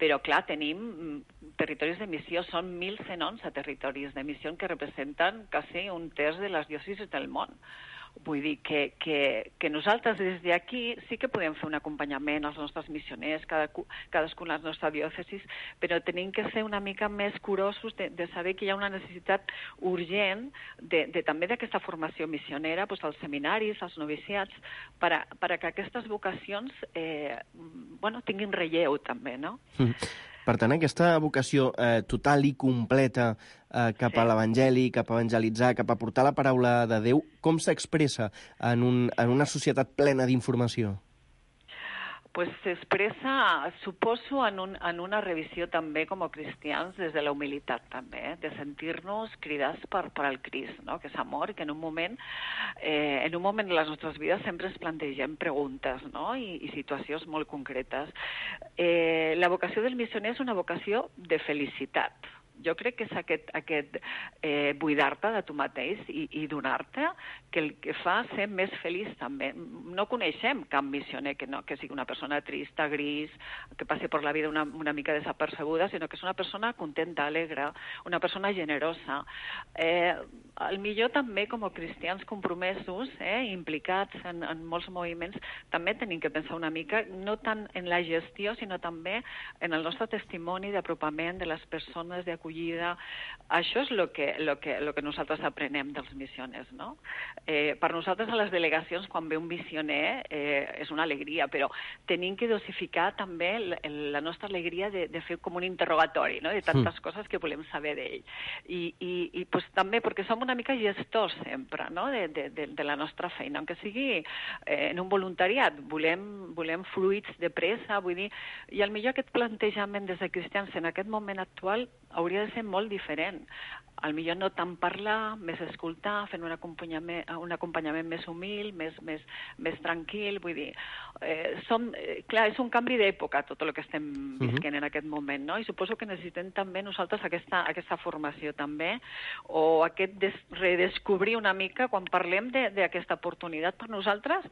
Speaker 11: però, clar, tenim territoris de missió, són 1.111 territoris de missió que representen quasi un terç de les diòcesis del món. Vull dir que nosaltres des d'aquí sí que podem fer un acompanyament als nostres missioners, cadascun a les nostres diòcesis, però tenim que ser una mica més curosos de saber que hi ha una necessitat urgent també d'aquesta formació missionera, doncs, als seminaris, als noviciats, per a que aquestes vocacions tinguin relleu també, no?
Speaker 5: Per tant, aquesta vocació total i completa cap a l'Evangeli, cap a evangelitzar, cap a portar la paraula de Déu, com s'expressa en una societat plena d'informació?
Speaker 11: Pues s'expressa, suposo, en una revisió també com a cristians des de la humilitat també, de sentir-nos cridats per al Crist, no? Que és amor, que en un moment de les nostres vides sempre ens plantegem preguntes, no? I situacions molt concretes. La vocació del missioner és una vocació de felicitat, Jo crec que és aquest buidar-te de tu mateix i donar-te que el que fa ser més feliç també. No coneixem cap missioner que sigui una persona trista, gris, que passi per la vida una mica desapercebuda, sinó que és una persona contenta, alegre, una persona generosa. Al millor també com a cristians compromesos, implicats en molts moviments, també tenim que pensar una mica, no tant en la gestió, sinó també en el nostre testimoni d'apropament de les persones, d'acollida. Això és el que nosaltres aprenem dels missioners, no? Per nosaltres a les delegacions, quan ve un missioner, és una alegria, però tenim que dosificar també la nostra alegria de fer com un interrogatori, no? De tantes coses que volem saber d'ell. I pues, també perquè som una mica gestors sempre, no? de la nostra feina, aunque sigui en un voluntariat, volem fluids de pressa, vull dir, i al millor aquest plantejament des de cristians en aquest moment actual hauria de ser molt diferent. Al millor no tant parlar, més escoltar, fent un acompanyament més humil, més tranquil, vull dir, clar, és un canvi d'època tot el que estem visquent en aquest moment, no? I suposo que necessitem també nosaltres aquesta formació també, o aquest redescobrir una mica quan parlem d'aquesta oportunitat per nosaltres,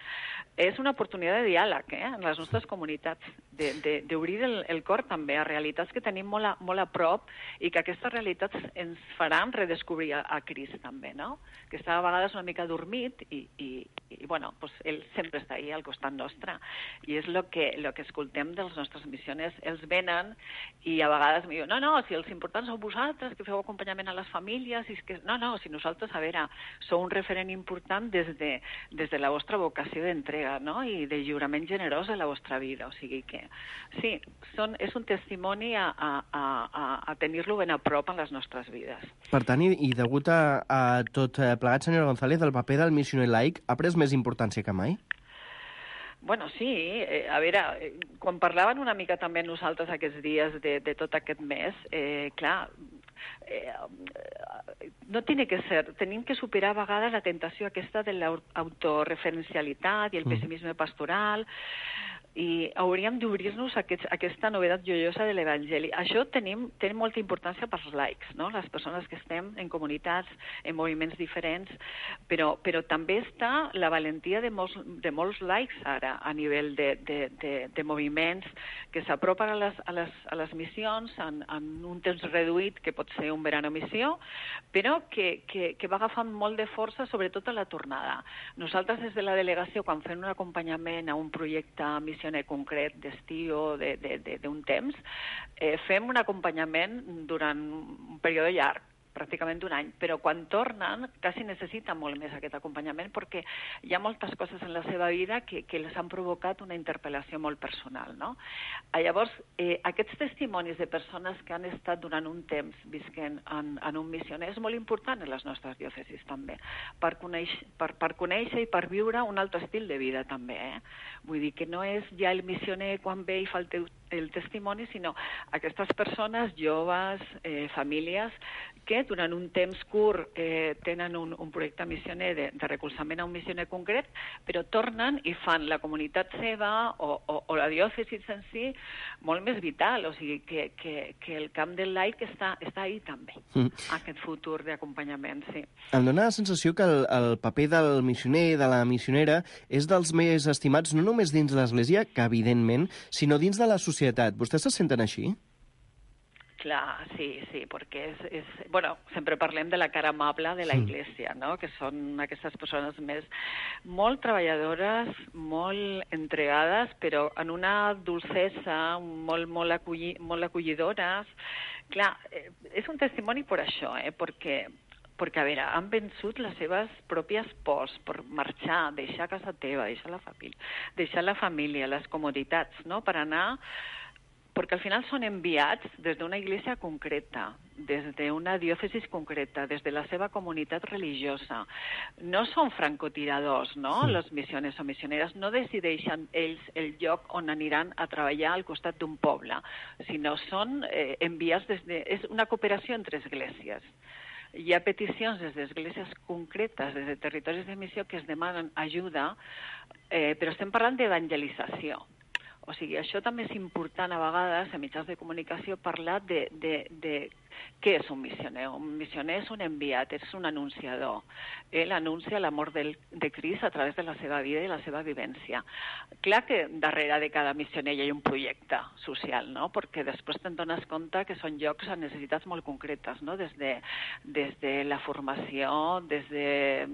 Speaker 11: és una oportunitat de diàleg en les nostres comunitats, d'obrir el cor també a realitats que tenim molt a prop i que aquestes realitats ens faran redescobrir a Crist també, no? Que està a vegades una mica dormit i bueno, pues ell sempre està ahí al costat nostre. I és el que escoltem dels nostres missioners. Ells venen i a vegades em diuen, no, si els importants sou vosaltres, que feu acompanyament a les famílies, si nosaltres, a veure, sou un referent important des de la vostra vocació d'entrega, no? I de lliurament generós de la vostra vida. O sigui que, sí, és un testimoni a tenir-lo ben a prop en les nostres vides.
Speaker 5: Per tant, i degut a tot plegat, senyora González, el paper del missioner laic ha pres més importància que mai?
Speaker 11: Bueno, sí, a veure, quan parlaven una mica també nosaltres aquests dies de tot aquest mes, clar, no tiene que ser, tenim que superar a vegades la tentació aquesta de l'autoreferencialitat i el pessimisme pastoral, i hauríem d'obrir-nos a aquesta novetat joiosa de l'Evangeli. Això té molta importància pels laics, no? Les persones que estem en comunitats, en moviments diferents, però també està la valentia de molts laics ara, a nivell de moviments que s'apropen a les missions en un temps reduït, que pot ser un verano missió, però que va agafant molt de força, sobretot a la tornada. Nosaltres, des de la delegació, quan fem un acompanyament a un projecte missioner concret d'estiu o d'un temps, fem un acompanyament durant un període llarg, pràcticament un any, però quan tornen quasi necessiten molt més aquest acompanyament perquè hi ha moltes coses en la seva vida que les han provocat una interpel·lació molt personal, no? Llavors, aquests testimonis de persones que han estat durant un temps visquent en un missioner és molt important en les nostres diòcesis també, per conèixer i per viure un altre estil de vida també, Vull dir que no és ja el missioner quan ve i fa el testimoni, sinó aquestes persones, joves, famílies, que durant un temps curt tenen un projecte missioner de recolzament a un missioner concret, però tornen i fan la comunitat seva o la diòcesis en si molt més vital, o sigui que el camp del laic està ahí també, aquest futur d'acompanyament, sí.
Speaker 5: Em dóna la sensació que el paper del missioner, de la missionera, és dels més estimats no només dins l'Església, que evidentment, sinó dins de la societat. Vostès se senten així?
Speaker 11: Clar, sí, perquè bueno, sempre parlem de la cara amable de la Iglesia, no? Que són aquestes persones molt treballadores, molt entregades, però en una dolcesa, molt acollidores. Clar, és un testimoni per això, perquè, a veure, han vençut les seves pròpies pors per marxar, deixar casa teva, deixar la família, les comoditats, no?, per anar... Perquè al final són enviats des d'una església concreta, des d'una diòcesis concreta, des de la seva comunitat religiosa. No són francotiradors, no?, les missiones o missioneres. No decideixen ells el lloc on aniran a treballar al costat d'un poble, sinó són enviats és una cooperació entre esglésies. Hi ha peticions des d'esglésies concretes, des de territoris de missió, que es demanen ajuda, però estem parlant d'evangelització. O sigui, això també és important a vegades, a mitjans de comunicació, parlar Què és un missioner? Un missioner és un enviat, és un anunciador. Ell anuncia l'amor de Crist a través de la seva vida i la seva vivència. Clar que darrere de cada missioner hi ha un projecte social, no? Perquè després te'n dones compte que són llocs a necessitats molt concretes, no? Des de la formació, des de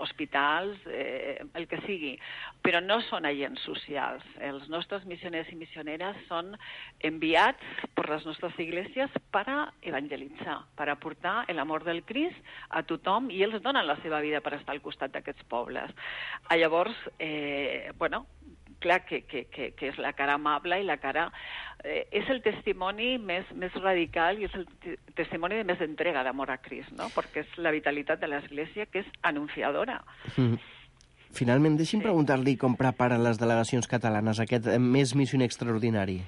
Speaker 11: hospitals, el que sigui. Però no són agents socials. Els nostres missioners i missioneres són enviats per les nostres iglesias per a evangelitzar, per a portar l'amor del Crist a tothom, i ells donen la seva vida per estar al costat d'aquests pobles. Llavors, clar que és la cara amable i la cara... és el testimoni més radical i és el testimoni de més entrega d'amor a Crist, no? Perquè és la vitalitat de l'Església, que és anunciadora.
Speaker 5: Finalment, deixi'm preguntar-li com preparen les delegacions catalanes aquest mes missioner extraordinari.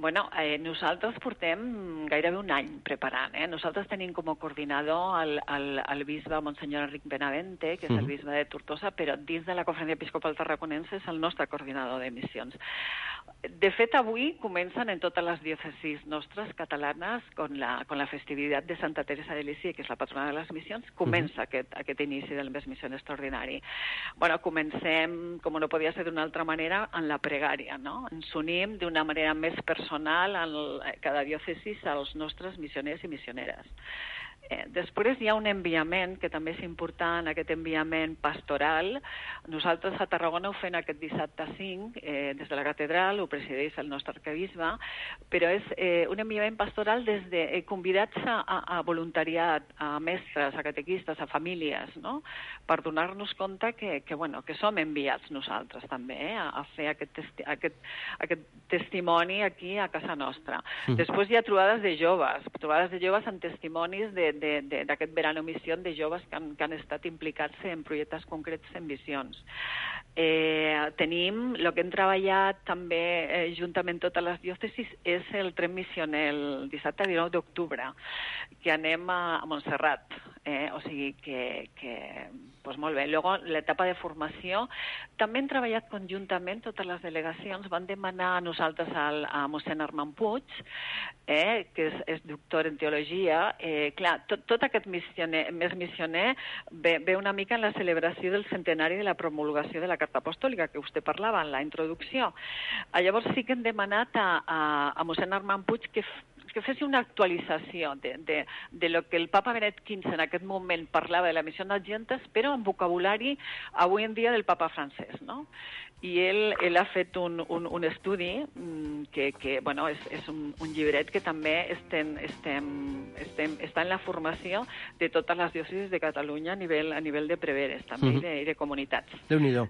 Speaker 11: Bueno, nosaltres portem gairebé un any preparant. Nosaltres tenim com a coordinador el bisbe Monsenyor Enric Benavente, que és el bisbe de Tortosa, però dins de la Conferència Episcopal Tarraconense és el nostre coordinador de missions. De fet, avui comencen en totes les diòcesis nostres catalanes con la festivitat de Santa Teresa de Lisieux, que és la patrona de les missions. Comença aquest inici del mes missioner extraordinari. Bueno, comencem, com no podia ser d'una altra manera, en la pregària, no? Ens unim d'una manera més personal en cada diòcesis als nostres missioners i missioneres. Després hi ha un enviament, que també és important, aquest enviament pastoral. Nosaltres a Tarragona ho fem aquest dissabte 5, des de la catedral, ho presideix el nostre arquebisbe, però és un enviament pastoral des de convidats a voluntariat, a mestres, a catequistes, a famílies, no? Per donar-nos compte que som enviats nosaltres també, a fer aquest testimoni aquí a casa nostra. Després hi ha trobades de joves amb testimonis d'aquest verano missió de joves que han estat implicats en projectes concrets en missions. Tenim, el que hem treballat també juntament totes les diòcesis és el tren missioner el dissabte 19 d'octubre, que anem a Montserrat. O sigui que pues molt bé. Luego, l'etapa de formació, també hem treballat conjuntament, totes les delegacions van demanar a nosaltres a mossèn Armand Puig, que és doctor en teologia. Clar, tot aquest mes missioner ve una mica en la celebració del centenari de la promulgació de la Carta Apostòlica, que vostè parlava en la introducció. Llavors sí que hem demanat a mossèn Armand Puig que fessi una actualització de lo que el papa Benet XV en aquest moment parlava de la missió d'agentes, però amb vocabulari avui en dia del papa francès, no? I ell ha fet un estudi que és un llibret que també està en la formació de totes les diòcesis de Catalunya a nivell de preveres també i de comunitats.
Speaker 5: Déu-n'hi-do.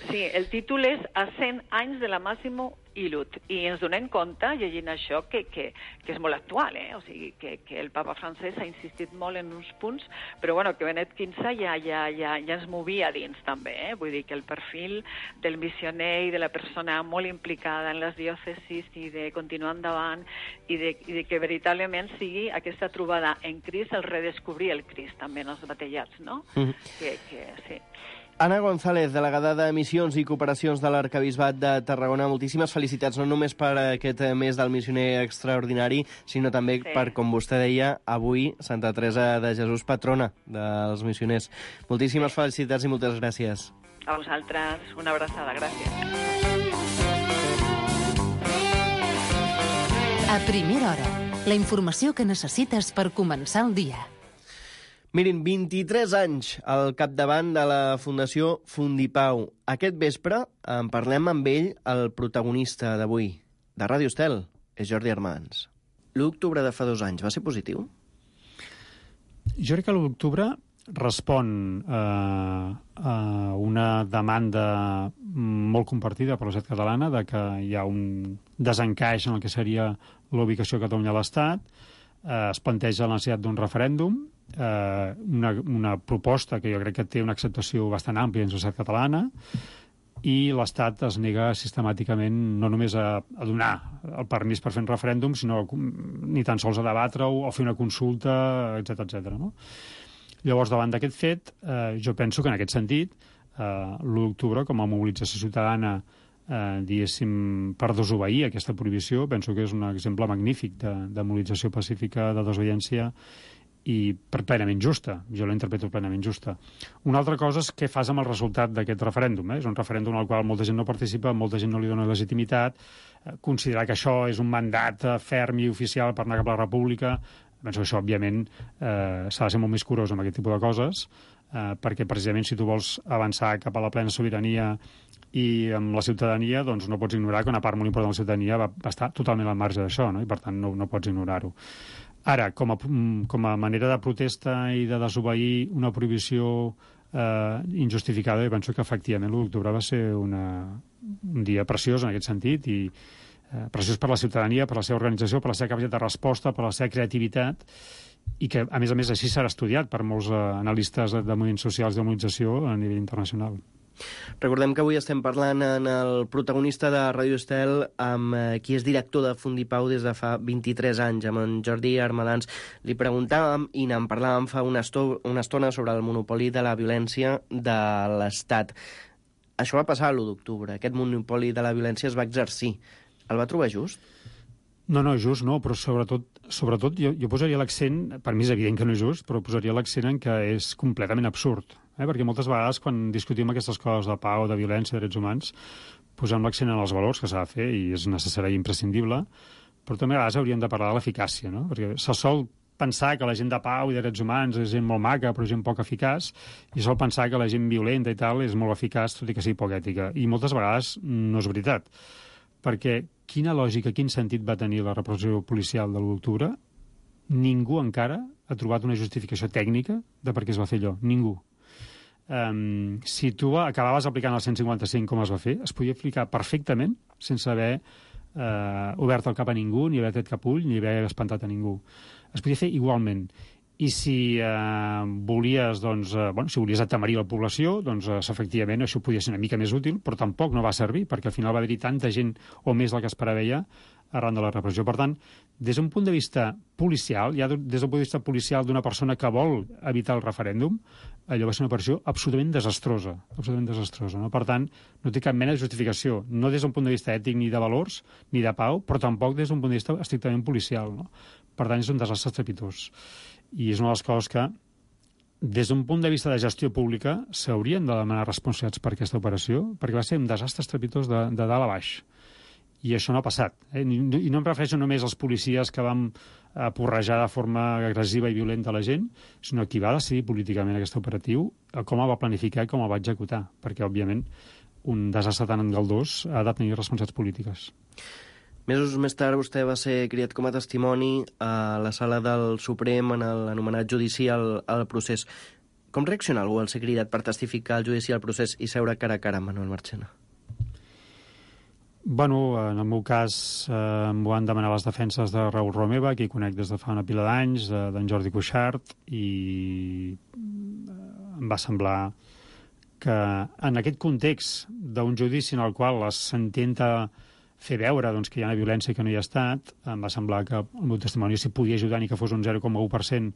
Speaker 11: Sí, el títol és A 100 anys de la Massimo Illud, i ens donem compte, llegint això, que és molt actual, o sigui, que el papa francès ha insistit molt en uns punts, però que Benet XV ja ens movia dins també, vull dir que el perfil del missioner i de la persona molt implicada en les diòcesis i de continuar endavant i de que veritablement sigui aquesta trobada en Crist, el redescobrir el Crist també en els batejats, no? Que sí.
Speaker 5: Anna González, delegada de Missions i Cooperacions de l'Arquebisbat de Tarragona, moltíssimes felicitats, no només per aquest mes del missioner extraordinari, sinó també per, com vostè deia, avui Santa Teresa de Jesús, patrona dels missioners. Moltíssimes felicitats i moltes gràcies.
Speaker 11: A vosaltres, una abraçada, gràcies.
Speaker 3: A primera hora, la informació que necessites per començar el dia.
Speaker 5: Mirin, 23 anys al capdavant de la Fundació Fundipau. Aquest vespre en parlem amb ell, el protagonista d'avui, de Ràdio Estel, és Jordi Armans. L'1 d'octubre de fa 2 anys va ser positiu?
Speaker 12: Jo crec que l'1 d'octubre respon a una demanda molt compartida per la societat catalana de que hi ha un desencaix en el que seria l'ubicació de Catalunya a l'Estat. Es planteja la necessitat d'un referèndum, una proposta que jo crec que té una acceptació bastant àmplia en la societat catalana, i l'Estat es nega sistemàticament no només a donar el permís per fer un referèndum, sinó ni tan sols a debatre-ho o fer una consulta, etc. No? Llavors, davant d'aquest fet, jo penso que en aquest sentit, l'1 d'octubre, com a mobilització ciutadana diguéssim, per desobeir aquesta prohibició. Penso que és un exemple magnífic de mobilització pacífica, de desobediència, i plenament justa. Jo la interpreto plenament justa. Una altra cosa és què fas amb el resultat d'aquest referèndum. És un referèndum al qual molta gent no participa, molta gent no li dona legitimitat. Considerar que això és un mandat ferm i oficial per anar cap a la república, penso que això, òbviament, s'ha de ser molt més curós amb aquest tipus de coses, perquè precisament si tu vols avançar cap a la plena sobirania i amb la ciutadania, doncs no pots ignorar que una part molt important de la ciutadania va estar totalment al marge d'això, no? I per tant no pots ignorar-ho. Ara, com a manera de protesta i de desobeir una prohibició injustificada, jo penso que efectivament l'1 d'octubre va ser un dia preciós en aquest sentit, i preciós per la ciutadania, per la seva organització, per la seva capacitat de resposta, per la seva creativitat, i que, a més, així serà estudiat per molts analistes de moviments socials de mobilització a nivell internacional.
Speaker 5: Recordem que avui estem parlant en el protagonista de Ràdio Estel amb qui és director de Fundipau des de fa 23 anys, amb en Jordi Armadans. Li preguntàvem i n'en parlàvem fa una estona sobre el monopoli de la violència de l'Estat. Això va passar l'1 d'octubre. Aquest monopoli de la violència es va exercir. El va trobar just?
Speaker 12: No, just no, però sobretot jo posaria l'accent, per mi és evident que no és just, però posaria l'accent en que és completament absurd. Perquè moltes vegades quan discutim aquestes coses de pau, de violència, de drets humans, posem l'accent en els valors que s'ha de fer i és necessari i imprescindible, però també a vegades hauríem de parlar de l'eficàcia, no? Perquè se sol pensar que la gent de pau i de drets humans és gent molt maca però gent poc eficaç, i sol pensar que la gent violenta i tal és molt eficaç tot i que sigui poc ètica. I moltes vegades no és veritat. Perquè quina lògica, quin sentit va tenir la repressió policial de l'1 d'octubre? Ningú encara ha trobat una justificació tècnica de per què es va fer allò. Ningú. Si tu acabaves aplicant el 155 com es va fer, es podia aplicar perfectament sense haver obert el cap a ningú, ni haver tret cap ull, ni haver espantat a ningú. Es podia fer igualment. I si volies, si volies atemorir la població, doncs efectivament això podia ser una mica més útil, però tampoc no va servir, perquè al final va haver-hi tanta gent o més del que es preveia arran de la repressió. Per tant, des d'un punt de vista policial, ja des d'un punt de vista policial d'una persona que vol evitar el referèndum, allò va ser una operació absolutament desastrosa, no? Per tant, no té cap mena de justificació, no des d'un punt de vista ètic ni de valors, ni de pau, però tampoc des d'un punt de vista estrictament policial, no? Per tant, és un desastre estrepitós. I és una de les coses que, des d'un punt de vista de gestió pública, s'haurien de demanar responsabilitats per aquesta operació, perquè va ser un desastre estrepitós de dalt a baix. I això no ha passat. I no em refereixo només als policies que vam porrejar de forma agressiva i violenta la gent, sinó qui va decidir políticament aquest operatiu, com el va planificar i com el va executar, perquè, òbviament, un desastre tan engaldós ha de tenir responsabilitats polítiques.
Speaker 5: Mesos més tard vostè va ser cridat com a testimoni a la sala del Suprem en l'anomenat judici al procés. Com reacciona algú al ser cridat per testificar al judici al procés i seure cara a cara amb Manuel Marchena?
Speaker 12: Bueno, en el meu cas m'ho van demanar les defenses de Raül Romeva, que hi conec des de fa una pila d'anys, d'en Jordi Cuixart, i em va semblar que en aquest context d'un judici en el qual s'intenta fer veure que hi ha una violència que no hi ha estat, em va semblar que el meu testimoni s'hi podia ajudar ni que fos un 0,1%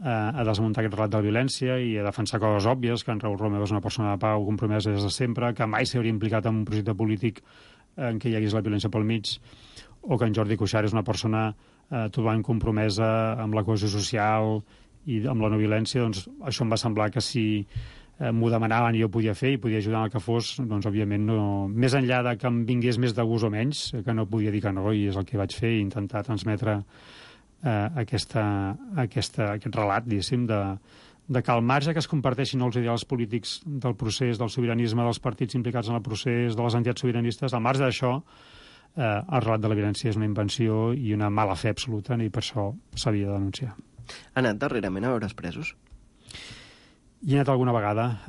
Speaker 12: a desmuntar aquest relat de la violència i a defensar coses òbvies, que en Raül Romeva és una persona de pau compromesa des de sempre, que mai s'hauria implicat en un projecte polític en què hi hagués la violència pel mig, o que en Jordi Cuixart és una persona totalment compromesa amb la cohesió social i amb la no violència. Doncs això em va semblar que si m'ho demanaven i jo podia fer i podia ajudar en el que fos, doncs òbviament no, més enllà de que em vingués més de gust o menys, que no podia dir que no, i és el que vaig fer, i intentar transmetre aquest relat, diguéssim, de que al marge que es comparteixin els ideals polítics del procés, del sobiranisme, dels partits implicats en el procés, de les entitats sobiranistes, al marge d'això, el relat de la violència és una invenció i una mala fe absoluta, i per això s'havia de denunciar.
Speaker 5: Ha anat darrerament a veure els presos?
Speaker 12: Hi he anat alguna vegada,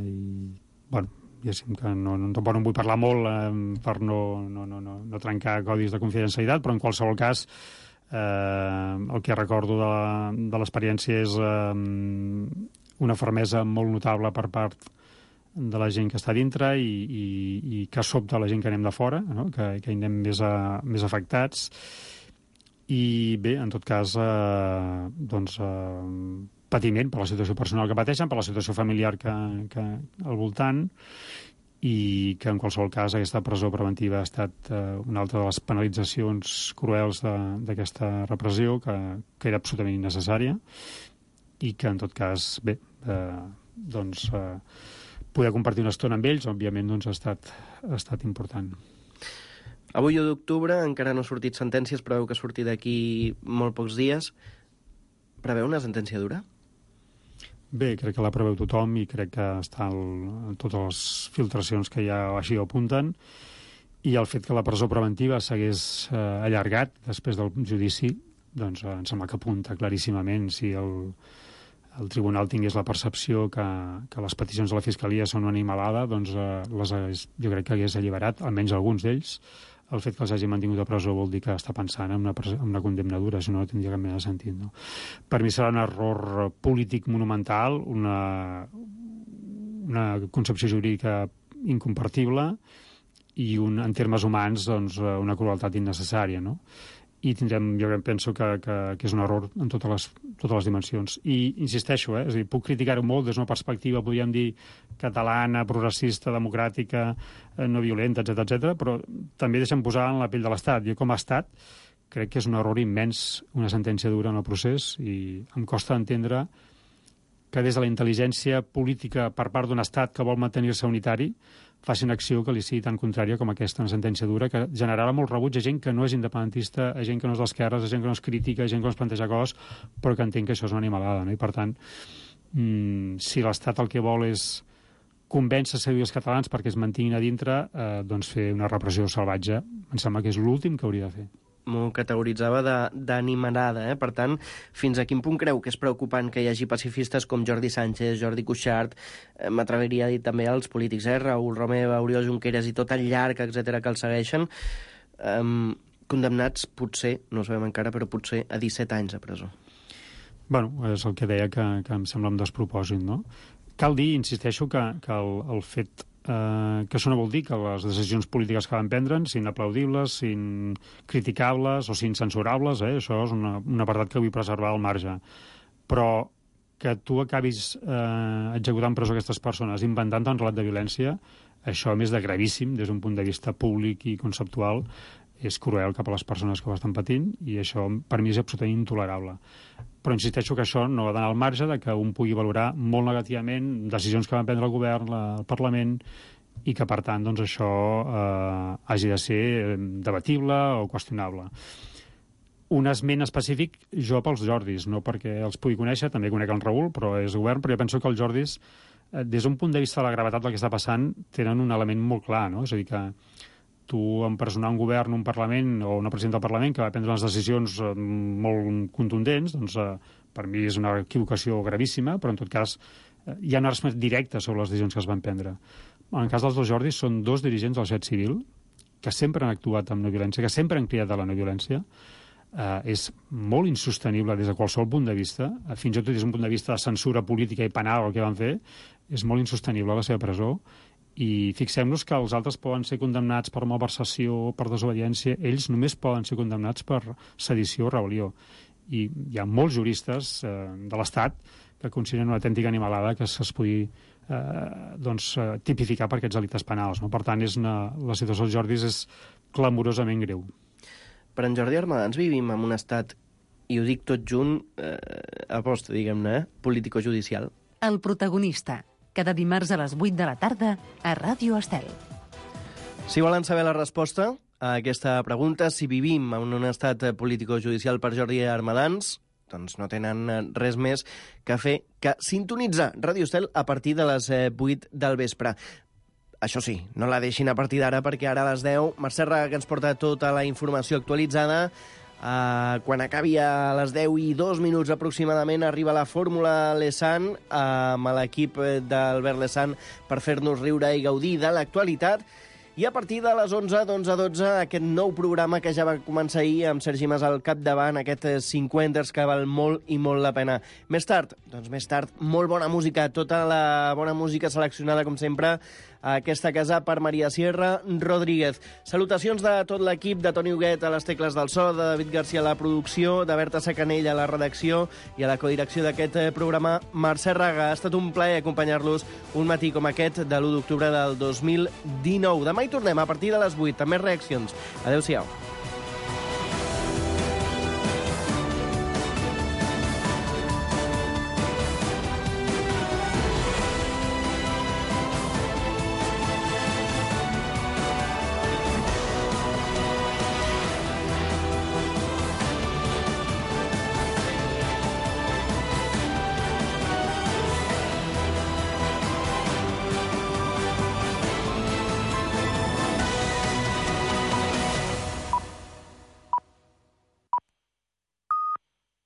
Speaker 12: i, bueno, diguéssim que no vull parlar molt per no trencar codis de confidencialitat, però en qualsevol cas el que recordo de l'experiència és una fermesa molt notable per part de la gent que està dintre i que sobta la gent que anem de fora, no? que hi anem més afectats. I bé, en tot cas, patiment per la situació personal que pateixen, per la situació familiar que al voltant, i que en qualsevol cas aquesta presó preventiva ha estat una altra de les penalitzacions cruels d'aquesta repressió, que era absolutament innecessària, i que en tot cas, bé, poder compartir una estona amb ells, òbviament, doncs, ha estat important.
Speaker 5: Avui, 1 d'octubre, encara no ha sortit sentències, preveu que surti d'aquí molt pocs dies. Preveu una sentència dura?
Speaker 12: Bé, crec que la preveu tothom i crec que està totes les filtracions que ja així ho apunten, i el fet que la presó preventiva s'hagués allargat després del judici, doncs em sembla que apunta claríssimament. Si el tribunal tingués la percepció que les peticions de la Fiscalia són una animalada, doncs jo crec que hagués alliberat, almenys alguns d'ells. El fet que els hagi mantingut a presó vol dir que està pensant en una condemna dura, si no tindria cap mena de sentit, no? Per mi serà un error polític monumental, una concepció jurídica incompartible i en termes humans doncs, una crueltat innecessària, no? I tindrem, jo penso que és un error en totes les dimensions. I insisteixo, és a dir, puc criticar-ho molt des d'una perspectiva, podríem dir, catalana, progressista, democràtica, no violenta, etc, però també deixem posar en la pell de l'Estat. Jo, com a Estat, crec que és un error immens, una sentència dura en el procés, i em costa entendre que des de la intel·ligència política per part d'un Estat que vol mantenir-se unitari faci una acció que li sigui tan contrària com aquesta, una sentència dura, que generarà molt rebuig a gent que no és independentista, a gent que no és d'esquerres, a gent que no és crítica, a gent que no es planteja coses, però que entenc que això és una animalada, no? I per tant, si l'Estat el que vol és convèncer els catalans perquè es mantinguin a dintre, doncs fer una repressió salvatge, em sembla que és l'últim que hauria de fer.
Speaker 5: M'ho categoritzava d'animalada, Per tant, fins a quin punt creu que és preocupant que hi hagi pacifistes com Jordi Sánchez, Jordi Cuixart, m'atreviria a dir també als polítics, Raül Romeva, Oriol Junqueras i tot el llarg, etc que els segueixen, condemnats potser, no ho sabem encara, però potser a 17 anys a presó?
Speaker 12: Bueno, és el que deia que em sembla un despropòsit, no? Cal dir, insisteixo, que el fet que això no vol dir que les decisions polítiques que van prendre siguin aplaudibles, siguin criticables o siguin censurables, això és un apartat que vull preservar al marge. Però que tu acabis executant presó aquestes persones inventant un relat de violència, això, a més de gravíssim des d'un punt de vista públic i conceptual, és cruel cap a les persones que ho estan patint, i això per mi és absolutament intolerable. Però insisteixo que això no ha d'anar al marge de que un pugui valorar molt negativament decisions que van prendre el govern, el Parlament, i que, per tant, doncs, això hagi de ser debatible o qüestionable. Un esment específic jo pels Jordis, no perquè els pugui conèixer, també conec el Raül, però és govern, però jo penso que els Jordis, des d'un punt de vista de la gravetat del que està passant, tenen un element molt clar, no? És a dir, que tu empresonar un govern, un Parlament o una presidenta del Parlament que va prendre unes decisions molt contundents, doncs per mi és una equivocació gravíssima, però en tot cas hi ha una responsabilitat directa sobre les decisions que es van prendre. En el cas dels dos Jordis són dos dirigents de la societat civil que sempre han actuat amb no violència, que sempre han cridat a la no violència. És molt insostenible des de qualsevol punt de vista, fins i tot des d'un punt de vista de censura política i penal el que van fer, és molt insostenible la seva presó. I fixem-nos que els altres poden ser condemnats per malversació, per desobediència, ells només poden ser condemnats per sedició o rebel·lió. I hi ha molts juristes de l'Estat que consideren una autèntica animalada que es pugui tipificar per aquests delictes penals, no? Per tant, la situació dels Jordis és clamorosament greu.
Speaker 5: Per en Jordi Armadans vivim en un estat, i ho dic tot junt, aposta, diguem-ne, político-judicial.
Speaker 7: El protagonista, cada dimarts a les 8 de la tarda a Ràdio Estel.
Speaker 5: Si volen saber la resposta a aquesta pregunta, si vivim en un estat político-judicial per Jordi Armadans, doncs no tenen res més que fer que sintonitzar Ràdio Estel a partir de les 8 del vespre. Això sí, no la deixin a partir d'ara, perquè ara a les 10 Mercè Raga, que ens porta tota la informació actualitzada. Quan acabi a les 10:02 aproximadament arriba la Fórmula Lesan amb l'equip d'Albert Lesan per fer-nos riure i gaudir de l'actualitat. i a partir de les 11, d'11 a 12, aquest nou programa que ja va començar ahir amb Sergi Mas al capdavant, aquest 50ers que val molt i molt la pena. Més tard, molt bona música, tota la bona música seleccionada, com sempre, a aquesta casa per Maria Sierra Rodríguez. Salutacions de tot l'equip, de Toni Huguet a les tecles del so, de David Garcia a la producció, de Berta Sacanell a la redacció i a la codirecció d'aquest programa, Mercè Raga. Ha estat un plaer acompanyar-los un matí com aquest de l'1 d'octubre del 2019. Demà hi tornem a partir de les 8, amb més reaccions. Adéu-siau.